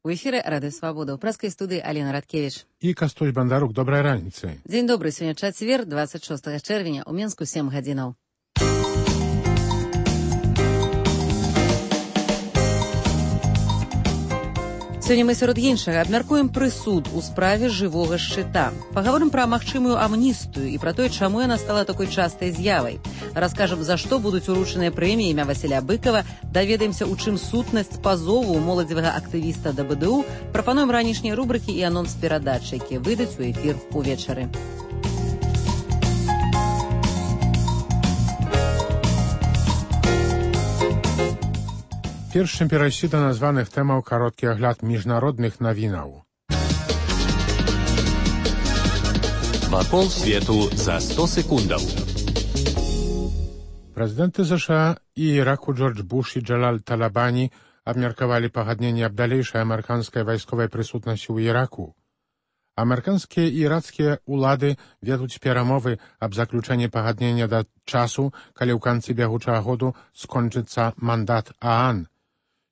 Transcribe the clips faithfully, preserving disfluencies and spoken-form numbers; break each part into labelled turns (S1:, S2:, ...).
S1: У эфіры Радыё Свабода. У праскай студыі Алена Радкевіч.
S2: І Кастусь Бандарук. Добрай раніцы.
S1: Дзень добры. Сёння чацвер, дваццаць шостага чэрвеня. У Менску сем гадзінаў. Сёння мы сярод іншага абмяркуем прысуд у справе жывога шчыта. Пагаворым пра магчымую амністыю і пра тое, чаму яна стала такой частай з'явай. Раскажам, за што будуць уручаныя прэміі імя Васіля Быкава, даведаемся, у чым сутнасць пазову моладзевага актывіста да бэ дэ у, прапануем ранішнія рубрыкі і анонс перадачы, якія выйдуць у эфір увечары.
S2: Перш чым перайсці да названых тэмаў, кароткі агляд міжнародных навінаў.
S3: Вакол свету за сто секундаў.
S2: Прэзідэнты ЗША і Іраку Джордж Буш і Джалаль Талабані абмеркавалі пагадненне аб далейшай амерыканскай вайсковай прысутнасці ў Іраку. Амерыканскія і ірацкія ўлады вядуць перамовы аб заключэнні пагаднення да часу, калі ў канцы бягучага году скончыцца мандат ААН.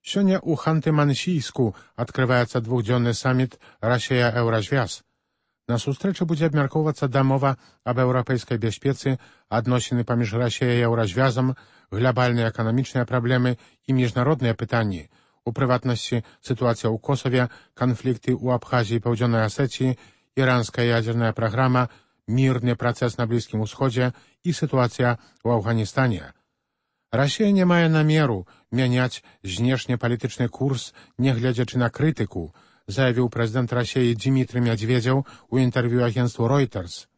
S2: Сёння ў Ханты-Мансійску адкрываецца двухдзённы саміт Расія-Еўразвяз. На сустрэчы будзе абмяркоўвацца дамова аб еўрапейскай бяспецы, адносіны паміж Расіяй і Еўразвязам, глобальныя эканамічныя праблемы і міжнародныя пытанні, у прыватнасці сітуацыя ў Косаве, канфлікты ў Абхазіі і Паўдзённай Асецыі, іранская ядзерная праграма, мірны працэс на Блізкім Усходзе і сітуацыя ў Афганістане. Расія не мае намеру мяняць знешнепалітычны курс, нягледзячы на крытыку, заявіў прэзідэнт Расіі Дзімітрый Мядзведзеў у інтэрв'ю агенцтву Reuters.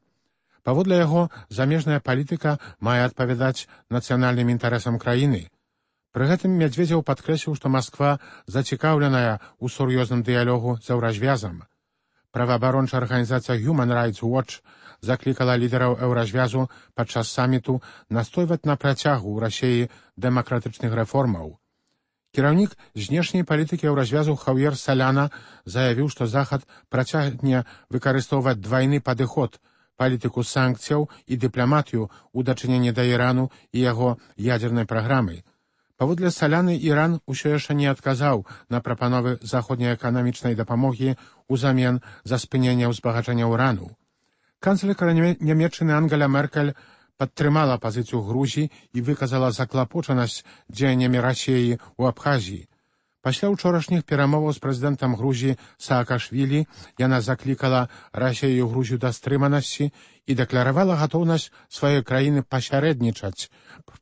S2: Паводле яго, замежная палітыка мае адпавядаць нацыянальным інтарэсам краіны. Пры гэтым Мядзведзеў падкрэсліў, што Масква зацікаўленая ў сур'ёзным дыялогу з Еўразвязам. Праваабарончая арганізацыя Human Rights Watch заклікала лідараў Еўразвязу падчас саміту настойваць на працягу ў Расіі дэмакратычных рэформаў. Кіраўнік знешняй палітыкі Еўразвязу Хаўер Саляна заявіў, што Захад працягне выкарыстоўваць двайны падыход, палітыку санкцыяў і дыпламатыю ў дачыненні да Ірану і яго ядзернай праграмы. Паводле Саляны, Іран усё яшчэ не адказаў на прапановы заходняй эканамічнай дапамогі ўзамен за спыненне ўзбагачэння ўрану. Канцлерка Нямецчыны Ангеля Меркель падтрымала пазіцыю Грузіі і выказала заклапочанасць дзеяннямі Расіі ў Абхазіі. Пасля ўчорашніх перамоваў з прэзідэнтам Грузіі Саакашвілі яна заклікала Расію і Грузію да стрыманасці і дэкларавала гатоўнасць сваёй краіны пасярэднічаць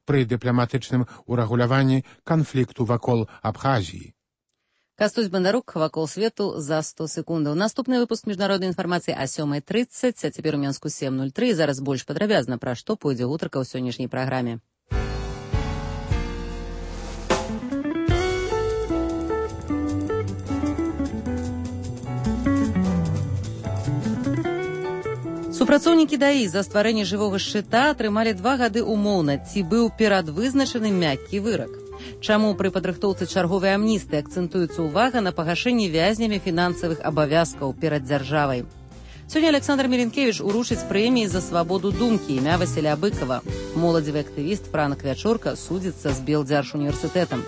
S2: пры дыпламатычным урэгуляванні канфлікту вакол Абхазіі.
S1: Кастусь Бандарук, вакол свету за сто секундаў. Наступны выпуск міжнароднай інфармацыі а сёмай трыццаць, а цяпер у Менску сем нуль тры. Зараз больш падрабязна, пра што пойдзе гутарка ў сённяшняй праграме. Супрацоўнікі ДАІ за стварэнне жывога шчыта атрымалі два гады умоўна, ці быў перадвызначаны мяккі вырак. Чаму пры падрыхтоўцы чарговай амністыі акцэнтуецца ўвага на пагашэнні вязнямі фінансавых абавязкаў перад дзяржавай. Сёння Александр Мелінкевіч уручыць прэміі за свабоду думкі імя Васіля Быкава. Моладзевы актывіст Франак Вячорка судзіцца з Белдзяржуніверсітэтам.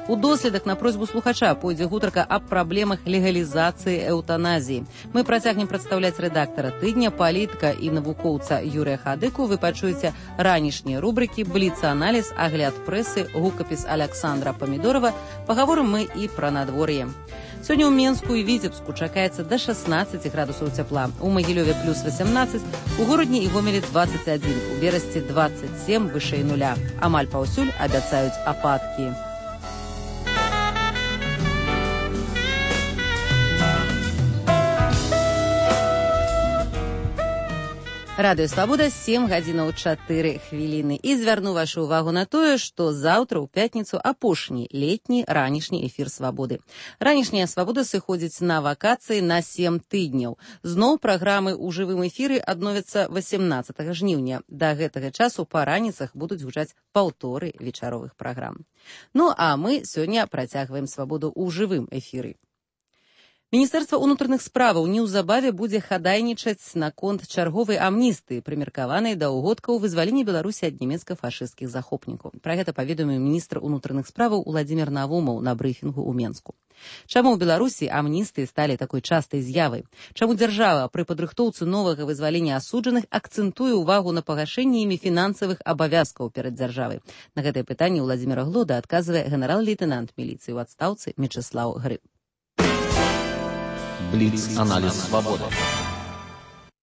S1: У доследах на просьбу слухача пойдзе гутарка аб праблемах легалізацыі эўтаназіі. Мы працягнем прадстаўляць рэдактара тыдня, палітыка і навукоўца Юрыя Хадыку. Вы пачуеце ранішнія рубрыкі, бліц-аналіз, агляд прэсы, гукапіс Аляксандра Памідорова. Пагаворым мы і пра надвор'е. Сёння ў Менску і Віцебску чакаецца да шаснаццаці градусаў цяпла. У Магілёве плюс васямнаццаць, у горадні і Гомелі дваццаць адзін, у Берасці дваццаць сем вышэй нуля. Амаль паўсюль абяцаюць ападкі. Радыё Свабода, сем гадзінаў чатыры хвіліны. І звярну вашу ўвагу на тое, што заўтра ў пятніцу апошні летні ранішні эфір Свабоды. Ранішняя Свабода сыходзіць на вакацыі на сем тыдняў. Зноў праграмы ў жывым эфіры адновяцца васямнаццатага жніўня. Да гэтага часу па раніцах будуць гучаць паўторы вечаровых праграм. Ну, а мы сёння працягваем Свабоду ў жывым эфіры. Міністэрства ўнутраных справаў неўзабаве будзе хадайнічаць наконт чарговай амністыі, прымеркаванай да ўгодкаў вызвалення Беларусі ад нямецка-фашысцкіх захопнікаў. Пра гэта паведаміў міністр унутраных справаў Уладзімір Навумаў на брыфінгу ў Менску. Чаму ў Беларусі амністыі сталі такой частай з'явай? Чаму дзяржава пры падрыхтоўцы новага вызвалення асуджаных акцэнтуе ўвагу на пагашэнні імі фінансавых абавязкаў перад дзяржавай? На гэтае пытанне Уладзіміра Глода адказвае генерал-лейтенант міліцыі ў адстаўцы Мечыслаў Грыб.
S3: Бліц-аналіз свабоды.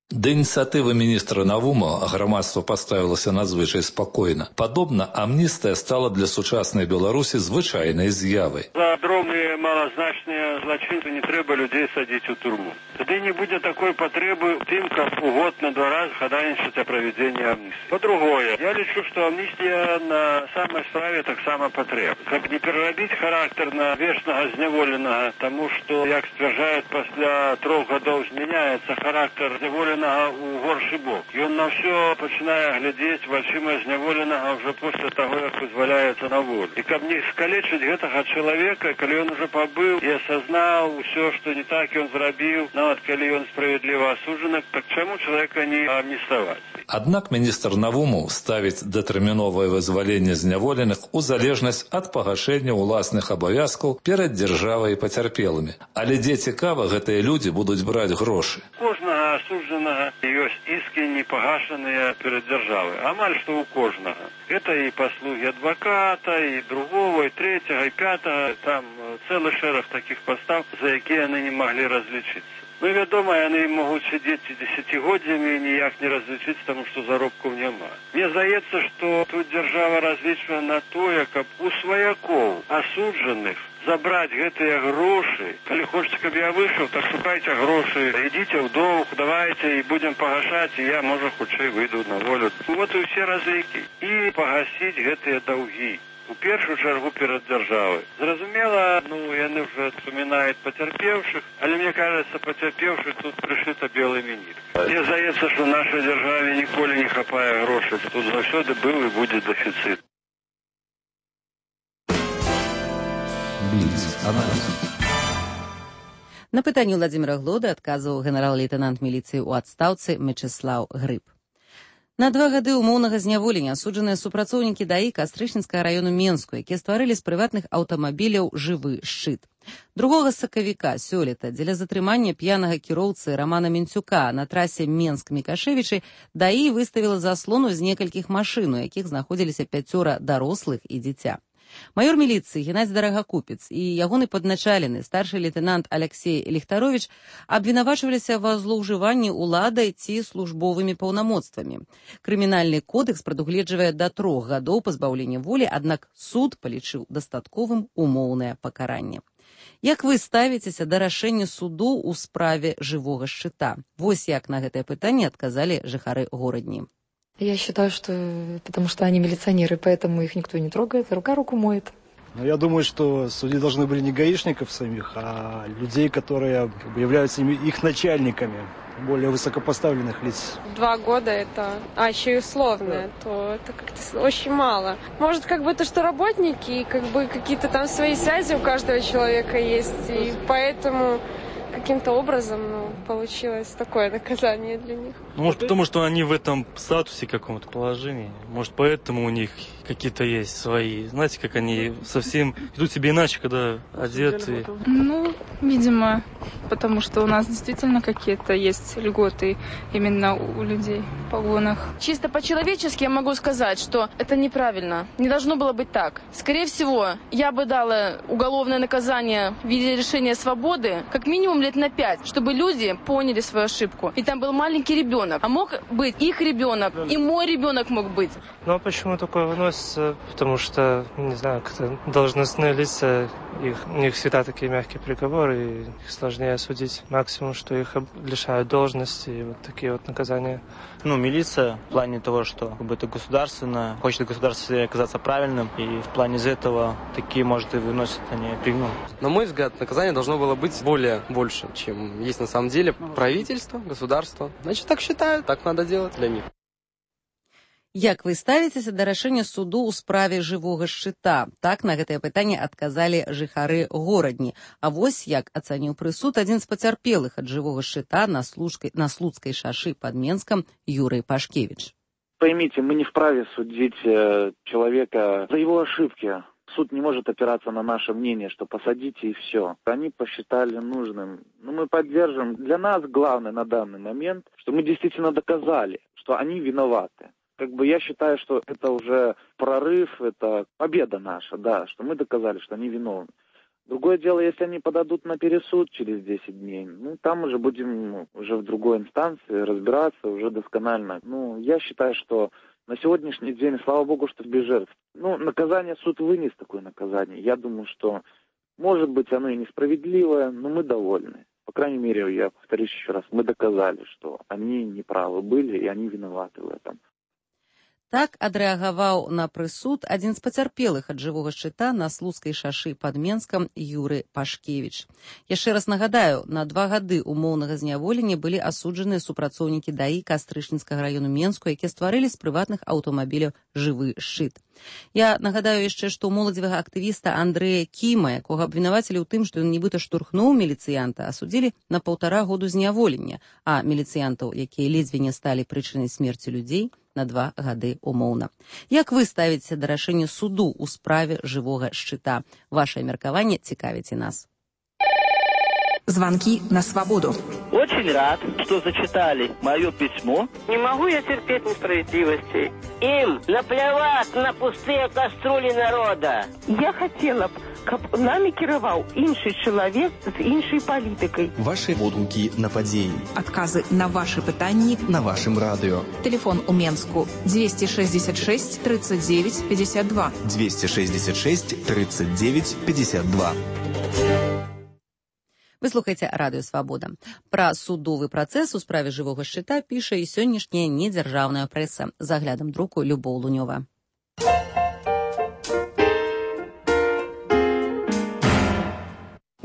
S4: Да ініцыятывы міністра Навума грамадства паставілася надзвычай спакойна. Падобна, амністыя стала для сучаснай Беларусі звычайнай з'явай.
S5: За дробныя малазначныя злачынцы не трэба людзей садзіць у турму. Тады не будзе такой патрэбы тым, каб у год на два разы хадайнічаць о правядзенні амністыі. Па-другое, я лічу, што амністія на самай справе таксама патрэбна. Каб не перарабіць характар на вечнага зняволенага, таму што, як сцвярджаюць, пасля трох гадоў змяняецца характар зняволенага у горшы бок. Ён на ўсё пачынае глядзець вачыма зняволенага ўжо пасля таго, як вызваляецца на волю. І каб не скалечыць гэтага чалавека, калі ён ужо пабыў і асазнаў усё, што не так ён зрабіў, нават калі ён справядліва асуджаны, так чаму чалавека не амніставаць?
S4: Аднак міністр Навумаў ставіць датэрміновае вызваленне зняволеных у залежнасць ад пагашэння ўласных абавязкаў перад дзяржавай і пацярпелымі. Але дзе цікава, гэтыя людзі будуць браць грошы.
S5: Кожнага асуджанага ёсць іскі непагашаныя перад дзяржавай. Амаль што ў кожнага. Гэта і паслугі адваката, і другого, і трэцяга, і пятага. Там цэлы шэраг такіх пастав, за якія яны не маглі разлічыцца. Ну, вядома, яны могуць сидзець дзесяцігоддзямі і ніяк не разлічыць, таму што заробкаў няма. Мне здаецца, што тут дзяржава разлічвае на тое, каб у сваякоў асуджаных забраць гэтыя грошы. Калі хочаце, каб я выйшаў, так шукайце грошы, ідзіце ў доўг, давайце і будзем пагашаць, і я, можа, хутчэй выйду на волю. Вот і ўсе разлікі. І пагасіць гэтыя даўгі. У першую чаргу перад дзяржавай. Зразумела, ну, яны ўжо вспоминаюць пацярпеўшых, але мне кажется, пацярпеўшых тут прышыта белымі ніткамі. Мне здаецца, што нашай дзяржаве ніколі не хапае грошай. Тут заўсёды быў і будзе дэфіцыт.
S1: На пытанне Уладзіміра Глода адказваў генерал-лейтенант міліцыі ў адстаўцы Мечыслаў Грыб. На два гады умоўнага зняволення асуджаныя супрацоўнікі ДАІ Кастрычніцкага раёну Менску, якія стварылі з прыватных аўтамабіляў жывы шчыт. Другога сакавіка сёлета дзеля затрымання п'янага кіроўцы Рамана Менцюка на трасе Менск-Мікашэвічы ДАІ выставіла заслону з некалькіх машын, у якіх знаходзіліся пяцёра дарослых і дзіця. Майор міліцыі Геннадзь Дарагакупец і ягоны падначалены старшы лейтенант Алексей Ліхтарович абвінавачваліся ва злоўжыванні ўладай ці службовымі паўнамоцтвамі. Крымінальны кодэкс прадугледжвае да трох гадоў пазбаўлення волі, аднак суд палічыў дастатковым умоўнае пакаранне. Як вы ставіцеся да рашэння суду ў справе жывога шчыта? Вось як на гэтае пытанне адказалі жыхары горадні.
S6: Я считаю, что потому что они милиционеры, поэтому их никто не трогает, рука руку моет.
S7: Но я думаю, что судьи должны были не гаишников самих, а людей, которые являются их начальниками, более высокопоставленных лиц.
S8: Два года это, а еще и условное, то это как-то очень мало. Может, как бы то, что работники, как бы какие-то там свои связи у каждого человека есть, и поэтому каким-то образом ну, получилось такое наказание для них.
S9: Может, потому что они в этом статусе каком-то положении. Может, поэтому у них какие-то есть свои. Знаете, как они совсем ведут себя иначе, когда одеты.
S10: Ну, видимо, потому что у нас действительно какие-то есть льготы именно у людей в погонах.
S11: Чисто по-человечески я могу сказать, что это неправильно. Не должно было быть так. Скорее всего, я бы дала уголовное наказание в виде лишения свободы, как минимум лет на пять, чтобы люди поняли свою ошибку. И там был маленький ребенок. А мог быть их ребенок, и мой ребенок мог быть.
S12: Ну а почему такое выносится? Потому что, не знаю, как-то должностные лица, их, у них всегда такие мягкие приговоры, и их сложнее осудить. Максимум, что их лишают должности, и вот такие вот наказания.
S13: Ну, милиция в плане того, что как бы это государственно, хочет государство оказаться правильным, и в плане из этого такие, может, и выносят они пригну.
S14: На мой взгляд, наказание должно было быть более больше, чем есть на самом деле. Правительство, государство. Значит, так считают, так надо делать для них.
S1: Як вы ставіцеся да рашэння суду ў справе жывога шчыта? Так на гэтае пытанне адказалі жыхары горадні. А вось як ацаніў прысуд адзін з пацярпелых ад жывога шчыта на, служкай, на Слуцкай шашы под Менском Юрий Пашкевич.
S15: Поймите, мы не вправе судить человека за его ошибки. Суд не может опираться на наше мнение, что посадите и все. Они посчитали нужным. Но мы поддержим. Для нас главное на данный момент, что мы действительно доказали, что они виноваты. Как бы я считаю, что это уже прорыв, это победа наша, да, что мы доказали, что они виновны. Другое дело, если они подадут на пересуд через десять дней, ну, там уже будем ну, уже в другой инстанции разбираться уже досконально. Ну, я считаю, что на сегодняшний день, слава богу, что без жертв. Ну, наказание суд вынес такое наказание. Я думаю, что, может быть, оно и несправедливое, но мы довольны. По крайней мере, я повторюсь еще раз, мы доказали, что они неправы были, и они виноваты в этом.
S1: Так адрэагаваў на прысуд адзін з пацярпелых ад жывога шчыта на Слуцкай шашы под Менском Юрий Пашкевич. Яшчэ раз нагадаю, на два гады умоўнага зняволення былі асуджаныя супрацоўнікі ДАІ Кастрычніцкага раёну Менску, якія стварылі з прыватных аўтамабіляў жывы шчыт. Я нагадаю яшчэ, што моладзевага актывіста Андрэя Кіма, якога абвінавацілі ў тым, што ён нібыта штурхнуў міліцыянта, асудзілі на паўтара году зняволення, а міліцыянтаў, якія ледзьве не сталі прычынай смерці людзей, на два гады умоўна. Як вы ставіце да рашэння суду ў справе жывога шчыта? Ваше меркаванне цікавіць і нас.
S16: Звонки на свободу.
S17: Очень рад, что зачитали мое письмо.
S18: Не могу я терпеть несправедливости.
S17: Им наплевать на пустые кастрюли народа.
S18: Я хотела б, каб нами кіраваў іншы чалавек з іншай палітыкай.
S16: Ваши водгукі на падзеі. Адказы на ваши пытанні на вашым радыё. Телефон у Менску двести шестьдесят шесть тридцать девять пятьдесят два. двести шестьдесят шесть тридцать девять пятьдесят два.
S1: Вы слухаеце радыё Свабода. Пра судовы працэс у справе жывога шчыта піша і сённяшняя недзяржаўная прэса. За аглядам друку Любоў Лунёва.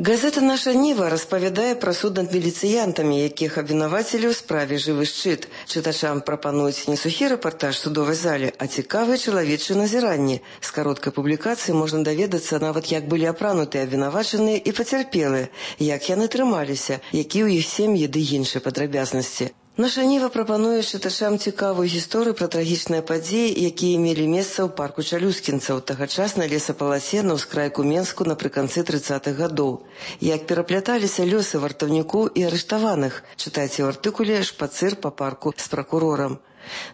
S19: Газета «Наша Ніва» распавядае пра суд над міліцыянтамі, якіх абвінавацілі ў справе «Жывы шчыт». Чытачам прапануюць не сухі рэпартаж судовай зале, а цікавыя чалавечыя назіранні. З кароткай публікацыі можна даведацца нават, як былі апранутыя абвінавачаныя і пацярпелыя, як яны трымаліся, які ў іх сем'і ды іншыя падрабязнасці. Наша Ніва прапануе чытачам цікавую гісторыю пра трагічныя падзеі, якія мелі месца ў парку чалюскінцаў, тагачаснай лесапаласе на ўскрайку Менску напрыканцы трыццатых гадоў. Як перапляталіся лёсы вартаўніку і арыштаваных, чытайце ў артыкуле «Шпацыр па парку з пракурорам».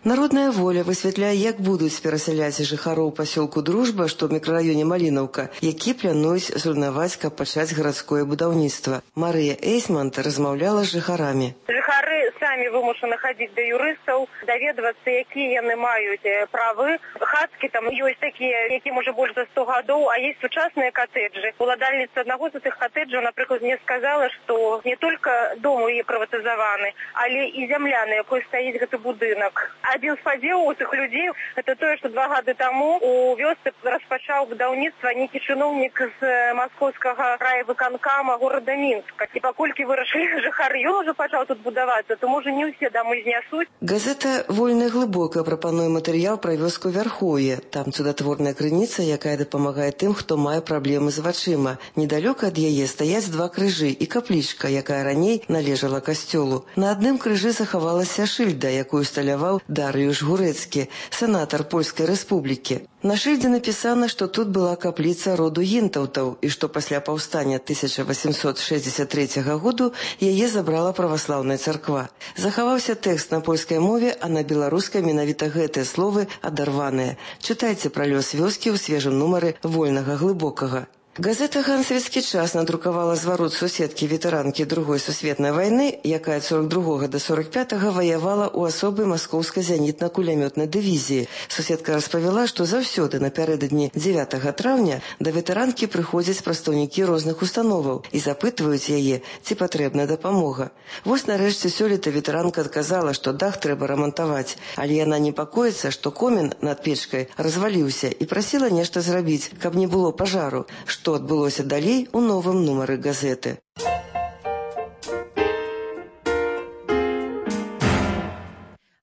S19: Народная воля высвятляе, як будуць перасяляць жыхароў пасёлку Дружба, што ў мікрараёне Малінаўка, які плануюць зруйнаваць, каб пачаць гарадское будаўніцтва. Марыя Эйсмант размаўляла з жыхарамі.
S20: Жыхары самі вымушаны хадзіць да юрыстаў, даведвацца, якія яны маюць правы. Хаткі там ёсць такія, якім уже больш за сто гадоў, а есть сучасныя катэджы. Уладальніца аднаго з гэтых катэджаў, напрыклад, мне сказала, што не толькі дом у яе прыватызаваны, але і зямля, на якой стаіць гэты будынак. Адзін з падзеў у тых людзей – это тое, што два гады таму у вёсцы распачаў будаўніцтва нейкі чыноўнік з маскоўскага райвыканкама горада Мінска. І паколькі вырашылі жыхары, ён ужо пачаў тут будавацца, то можа не ўсе дамы знясуць.
S19: Газета «Вольная глыбока» прапануе матэрыял пра вёску Вярхоўе. Там цудатворная крыніца, якая дапамагае тым, хто мае праблемы з вачыма. Недалёка ад яе стаяць два крыжы і каплічка, якая раней належала касцёлу. На адным крыжы захавалася шыльда, якую сталяваў Дарыюш Гурэцкі, сенатар Польскай Рэспублікі. На шыльдзе напісана, што тут была капліца роду гінтаўтаў і што пасля паўстання тысяча восемьсот шестьдесят третьего году яе забрала праваслаўная царква. Захаваўся тэкст на польскай мове, а на беларускай менавіта гэтыя словы адарваныя. Чытайце пра лёс вёскі ў свежым нумары «Вольнага глыбокага». Газета «Гансвіцкі час» надрукавала зварот суседкі ветэранкі Другой сусветнай вайны, якая ад сорок другога да сорок пятага ваявала ў асобай маскоўскай зенітна-кулямётнай дывізіі. Суседка распавяла, што заўсёды напярэдадні дзевятага траўня да ветэранкі прыходзяць прадстаўнікі розных установаў і запытваюць яе, ці патрэбна дапамога. Вось нарэшце сёлета ветэранка адказала, што дах трэба рамантаваць, але яна непакоіцца, што комін над печкай разваліўся і прасіла нешта зрабіць, каб не было пажару, што адбылося далей у новым нумары газеты.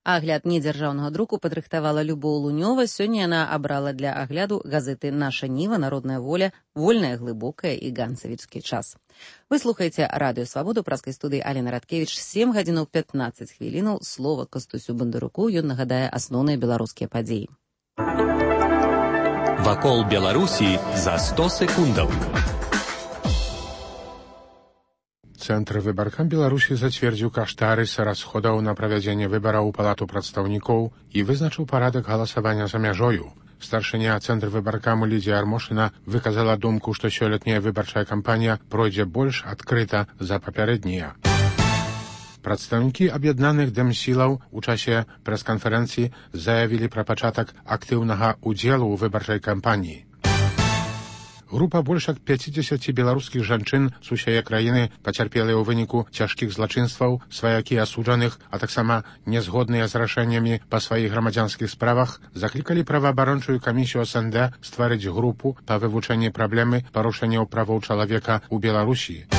S1: Агляд недзяржаўнага друку падрыхтавала Любоў Лунёва. Сёння яна абрала для агляду газеты «Наша Ніва», «Народная воля», «Вольная, глыбокая» і «Ганцавіцкі час». Вы слухаеце радыё «Свабоду», праскай студыі Алена Радкевіч. сем гадзінаў пятнаццаць хвілінаў. Слова Кастусю Бандаруку. Ён нагадае асноўныя беларускія падзеі.
S21: Вакол Беларусі за сто секундаў.
S2: Цэнтр выбаркам Беларусі зацвердзіў каштарыс расходаў на правядзенне выбараў у палату прадстаўнікоў і вызначыў парадак галасавання за мяжою. Старшыня цэнтр выбаркаму Лідзія Армошына выказала думку, што сёлетняя выбарчая кампанія пройдзе больш адкрыта за папярэднія. Прадстаўнікі аб'яднаных дэмсілаў у часе прэс-канферэнцыі заявілі пра пачатак актыўнага ўдзелу ў выбарчай кампаніі. Група больш як пяцідзесяці беларускіх жанчын з усяе краіны пацярпелыя ў выніку цяжкіх злачынстваў, сваякі асуджаных, а таксама нязгодныя з рашэннямі па сваіх грамадзянскіх справах, заклікалі праваабарончую камісію эс эн дэ стварыць групу па вывучэнні праблемы парушэнняў правоў чалавека ў Беларусі.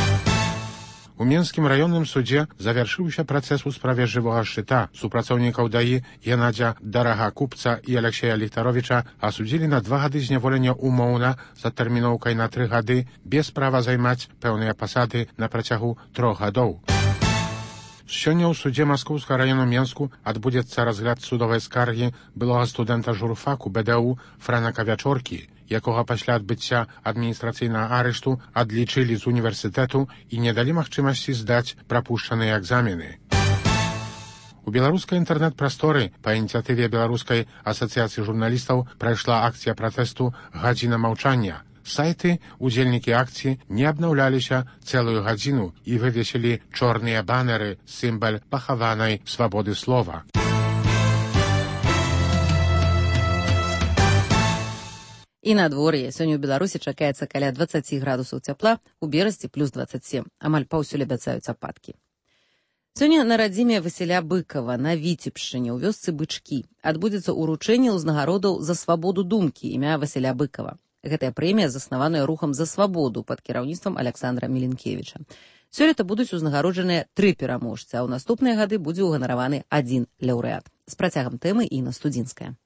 S2: У Менскім раённым судзе завяршыўся працэс у справе жывога шчыта. Супрацоўнікаў даі Геннадзя Дарагакупца і Алексея Ліхтаровіча асудзілі на два гады зняволення умоўна за тэрміноўкай на тры гады без права займаць пэўныя пасады на працягу трох гадоў. Сёння ў судзе Маскоўскага раёну Менску адбудзецца разгляд судовай скаргі былога студэнта журфаку бэ дэ у Франака Вячоркі, якога пасля адбыцця адміністрацыйнага арышту адлічылі з універсітэту і не далі магчымасці здаць прапушчаныя экзамены. У беларускай інтэрнэт-прасторы па ініцыятыве Беларускай асацыяцыі журналістаў прайшла акцыя пратэсту «Гадзіна маўчання». Сайты, удзельнікі акцыі не абнаўляліся цэлую гадзіну і вывесілі чорныя банеры, сімвал пахаванай свабоды слова.
S1: І надвор'е. Сёння ў Беларусі чакаецца каля дваццаці градусаў цяпла, у Берасці плюс дваццаць сем. Амаль паўсюль абяцаюць ападкі. Сёння на радзіме Васіля Быкава на Віцебшчыне ў вёсцы Бычкі адбудзецца ўручэнне ўзнагародаў за свабоду думкі імя Васіля Быкава. Гэтая прэмія заснаваная рухам за свабоду пад кіраўніцтвам Александра Міленкевіча. Сёлета будуць узнагароджаныя тры пераможцы, а ў наступныя гады будзе ўганараваны адзін лаўрэат. З працягам тэмы Інна Студзінская.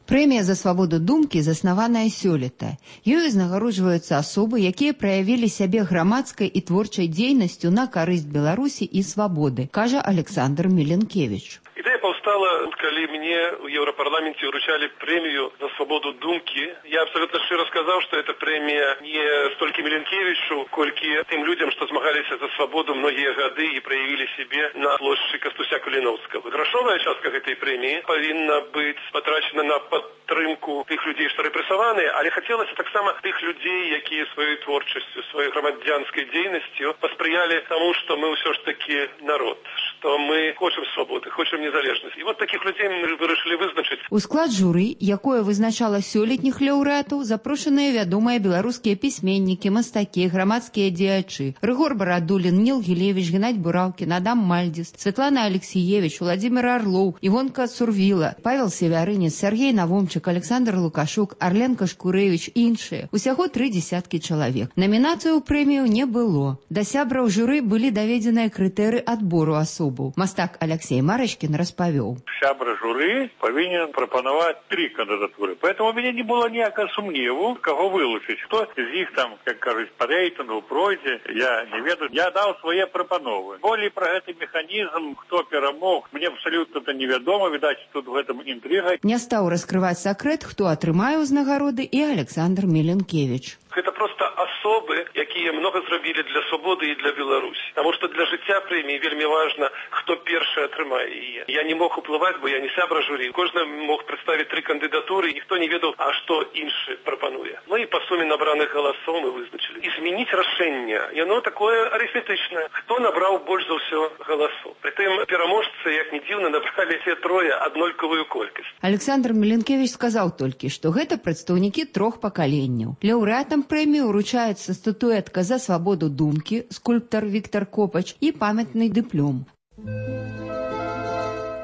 S22: Прэмія за свабоду думкі заснаваная сёлета. Ёй узнагароджваюцца асобы, якія праявілі сябе грамадскай і творчай дзейнасцю на карысць Беларусі і свабоды, кажа Александр Міленкевіч.
S23: Ідэя паўстала, калі мне ў Еўрапарламенце ўручалі прэмію за свабоду думкі. Я абсолютно шчыра сказаў, што эта прэмія не столькі Міленкевічу, колькі тым людзям, што змагаліся за свабоду многія гады і праявілі сябе на плошчы Кастуся Куліноўскага. Грашовая частка гэтай прэміі павінна быць патрачана на падтрымку тых людзей, што рэпрэсаваныя, але хацелася таксама тых людзей, якія сваёй творчасцю, сваёй грамадзянскай дзейнасцю паспрыялі таму, што мы ўсё ж такі народ, што мы хочам свабоды, хочам незалежнасць. І вот такіх людзей мы вырашылі вызначыць.
S22: У склад журы, якое вызначала сёлетніх лаўрэатаў, запрошаныя вядомыя беларускія пісьменнікі, мастакі, грамадскія дзеячы: Рыгор Барадулін, Ніл Гілевіч, Геннадзь Бураўкін, Адам Мальдзіс, Святлана Алексіевіч, Владзімир Арлоў, Івонка Сурвіла, Павел Севярынец, Сергей Навомчык, Александр Лукашук, Арленка Шкурэвіч і іншыя. Усяго тры дзесяткі чалавек. Намінацыю ў прэмію не было. Да сябраў журы былі даведзеныя крытэры адбору асобаў. Мастак Алексей Марачкін распавёў.
S24: Сябра журы павінен прапанаваць тры кандыдатуры. Поэтому у меня не было ніякага сумневу, каго вылучыць. Хто з іх там, як кажуць, па рэйтынгу пройдзе, я не ведаю. Я даў свае прапановы. Болей пра гэты механізм, хто перамог, мне абсалютна это невядома. Відаць, тут в этом інтрыга.
S22: Не стаў раскрываць сакрэт, хто атрымае ўзнагароды, і Александр Міленкевіч.
S23: Гэта просто асобы, якія много зрабілі для свабоды і для Беларусі. Таму што для жыцця прэміі вельмі важна, хто першы атрымае яе. Я не мог уплываць, бо я не сябра журы. Кожны мог прадставіць тры кандыдатуры, і ніхто не ведаў, а што іншы прапануе. Ну і па суме набраных галасоў мы вызначылі. І змяніць рашэнне, яно такое арыфметычнае. Хто набраў больш за ўсё галасоў? Прытым пераможцы, як ні дзіўна, набралі все трое аднолькавую колькасць.
S22: Александр Міленкевіч сказаў толькі, што гэта прадстаўнікі трох пакаленняў. Лаўрэатам прэмію ўручаецца статуэтка за свабоду думкі, скульптар Віктор Копач і памятны дыплом.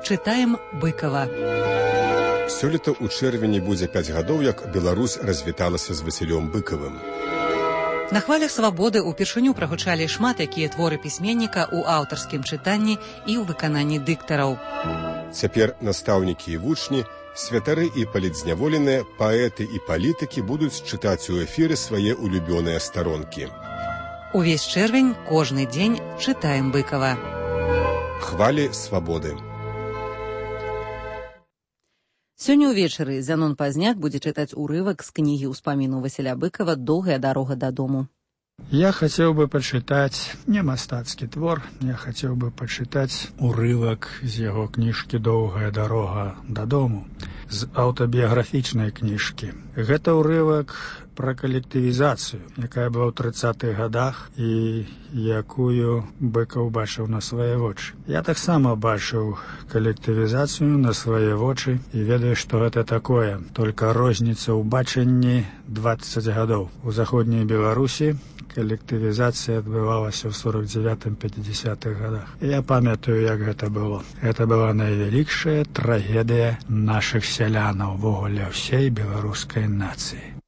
S1: Чытаем Быкава.
S25: Сёлета ў чэрвені будзе пяць гадоў, як Беларусь развіталася з Васілём Быкавым.
S1: На хвалях свабоды ўпершыню прагучалі шмат якія творы пісьменніка ў аўтарскім чытанні і ў выкананні дыктараў.
S25: Цяпер настаўнікі і вучні, святары і палітзняволеныя, паэты і палітыкі будуць чытаць у эфіры свае улюбёныя старонкі.
S1: Увесь чэрвень, кожны дзень чытаем Быкава.
S25: Хвалі свабоды.
S1: Сёння ўвечары Зянон Пазняк будзе чытаць урывак з кнігі ўспаміну Васіля Быкава «Доўгая дарога дадому».
S3: Я хацеў бы пачытаць не мастацкі твор, я хацеў бы пачытаць урывак з яго кніжкі «Доўгая дарога дадому», з аўтабіяграфічнай кніжкі. Гэта урывак пра калектывізацыю, якая была ў трыццатых гадах і якую Быкаў бачыў на свае вочы. Я таксама бачыў калектывізацыю на свае вочы і ведаю, што гэта такое. Толькі розніца ў бачанні дваццаць гадоў. У заходняй Беларусі калектывізацыя адбывалася ў сорок дзевятым — пяцідзясятых гадах. Я памятаю, як гэта было. Гэта была найвялікшая трагедыя нашых сялянаў, увогуле ўсей беларускай нацыі.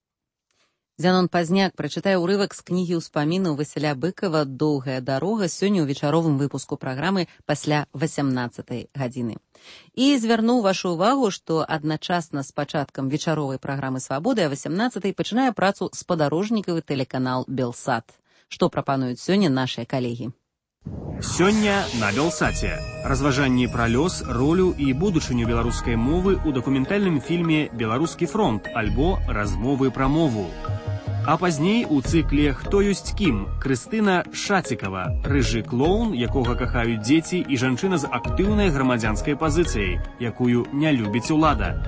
S1: Зянон Пазняк прачытае ўрывак з кнігі ўспаміну Васіля Быкава «Доўгая дарога» сёння ў вечаровым выпуску праграмы пасля васямнаццатай гадзіны. І звярнуў вашу ўвагу, што адначасна з пачаткам вечаровай праграмы «Свабоды» а васямнаццатай пачынае працу спадарожнікавы тэлеканал «Белсат». Што прапануюць сёння нашыя калегі?
S4: Сёння на Белсаце. Разважанні пра лёс, ролю і будучыню беларускай мовы ў дакументальным фільме «Беларускі фронт» альбо «Размовы пра мову». А пазней у цыкле «Хто ёсць кім» Крыстына Шацікава, рыжы клоун, якога кахаюць дзеці, і жанчына з актыўнай грамадзянскай пазіцыяй, якую не любіць улада.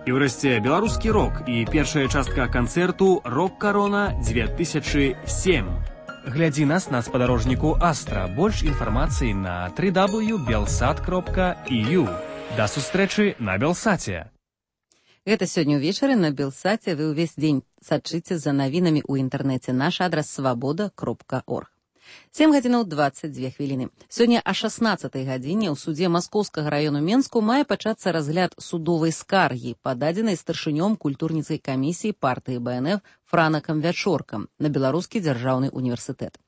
S4: І ўрэшце беларускі рок і першая частка канцэрту «Рок-карона дзве тысячы сем». Глядзі нас на спадарожніку Астра. Больш інфармацыі на дабл ю дабл ю крапка белсат крапка і ю. Да сустрэчы на Белсаце.
S1: Гэта сёння ўвечары на Белсаце. Вы ўвесь дзень сачыце за навінамі ў інтэрнэце. Наш адрас свабода крапка орг. сем гадзінаў дваццаць дзве хвіліны. Сёння о шаснаццатай гадзіне ў судзе Маскоўскага раёну Менску мае пачацца разгляд судовай скаргі, пададзенай старшынём культурніцкай камісіі партыі бэ эн эф Франакам Вячоркам на Беларускі дзяржаўны універсітэт.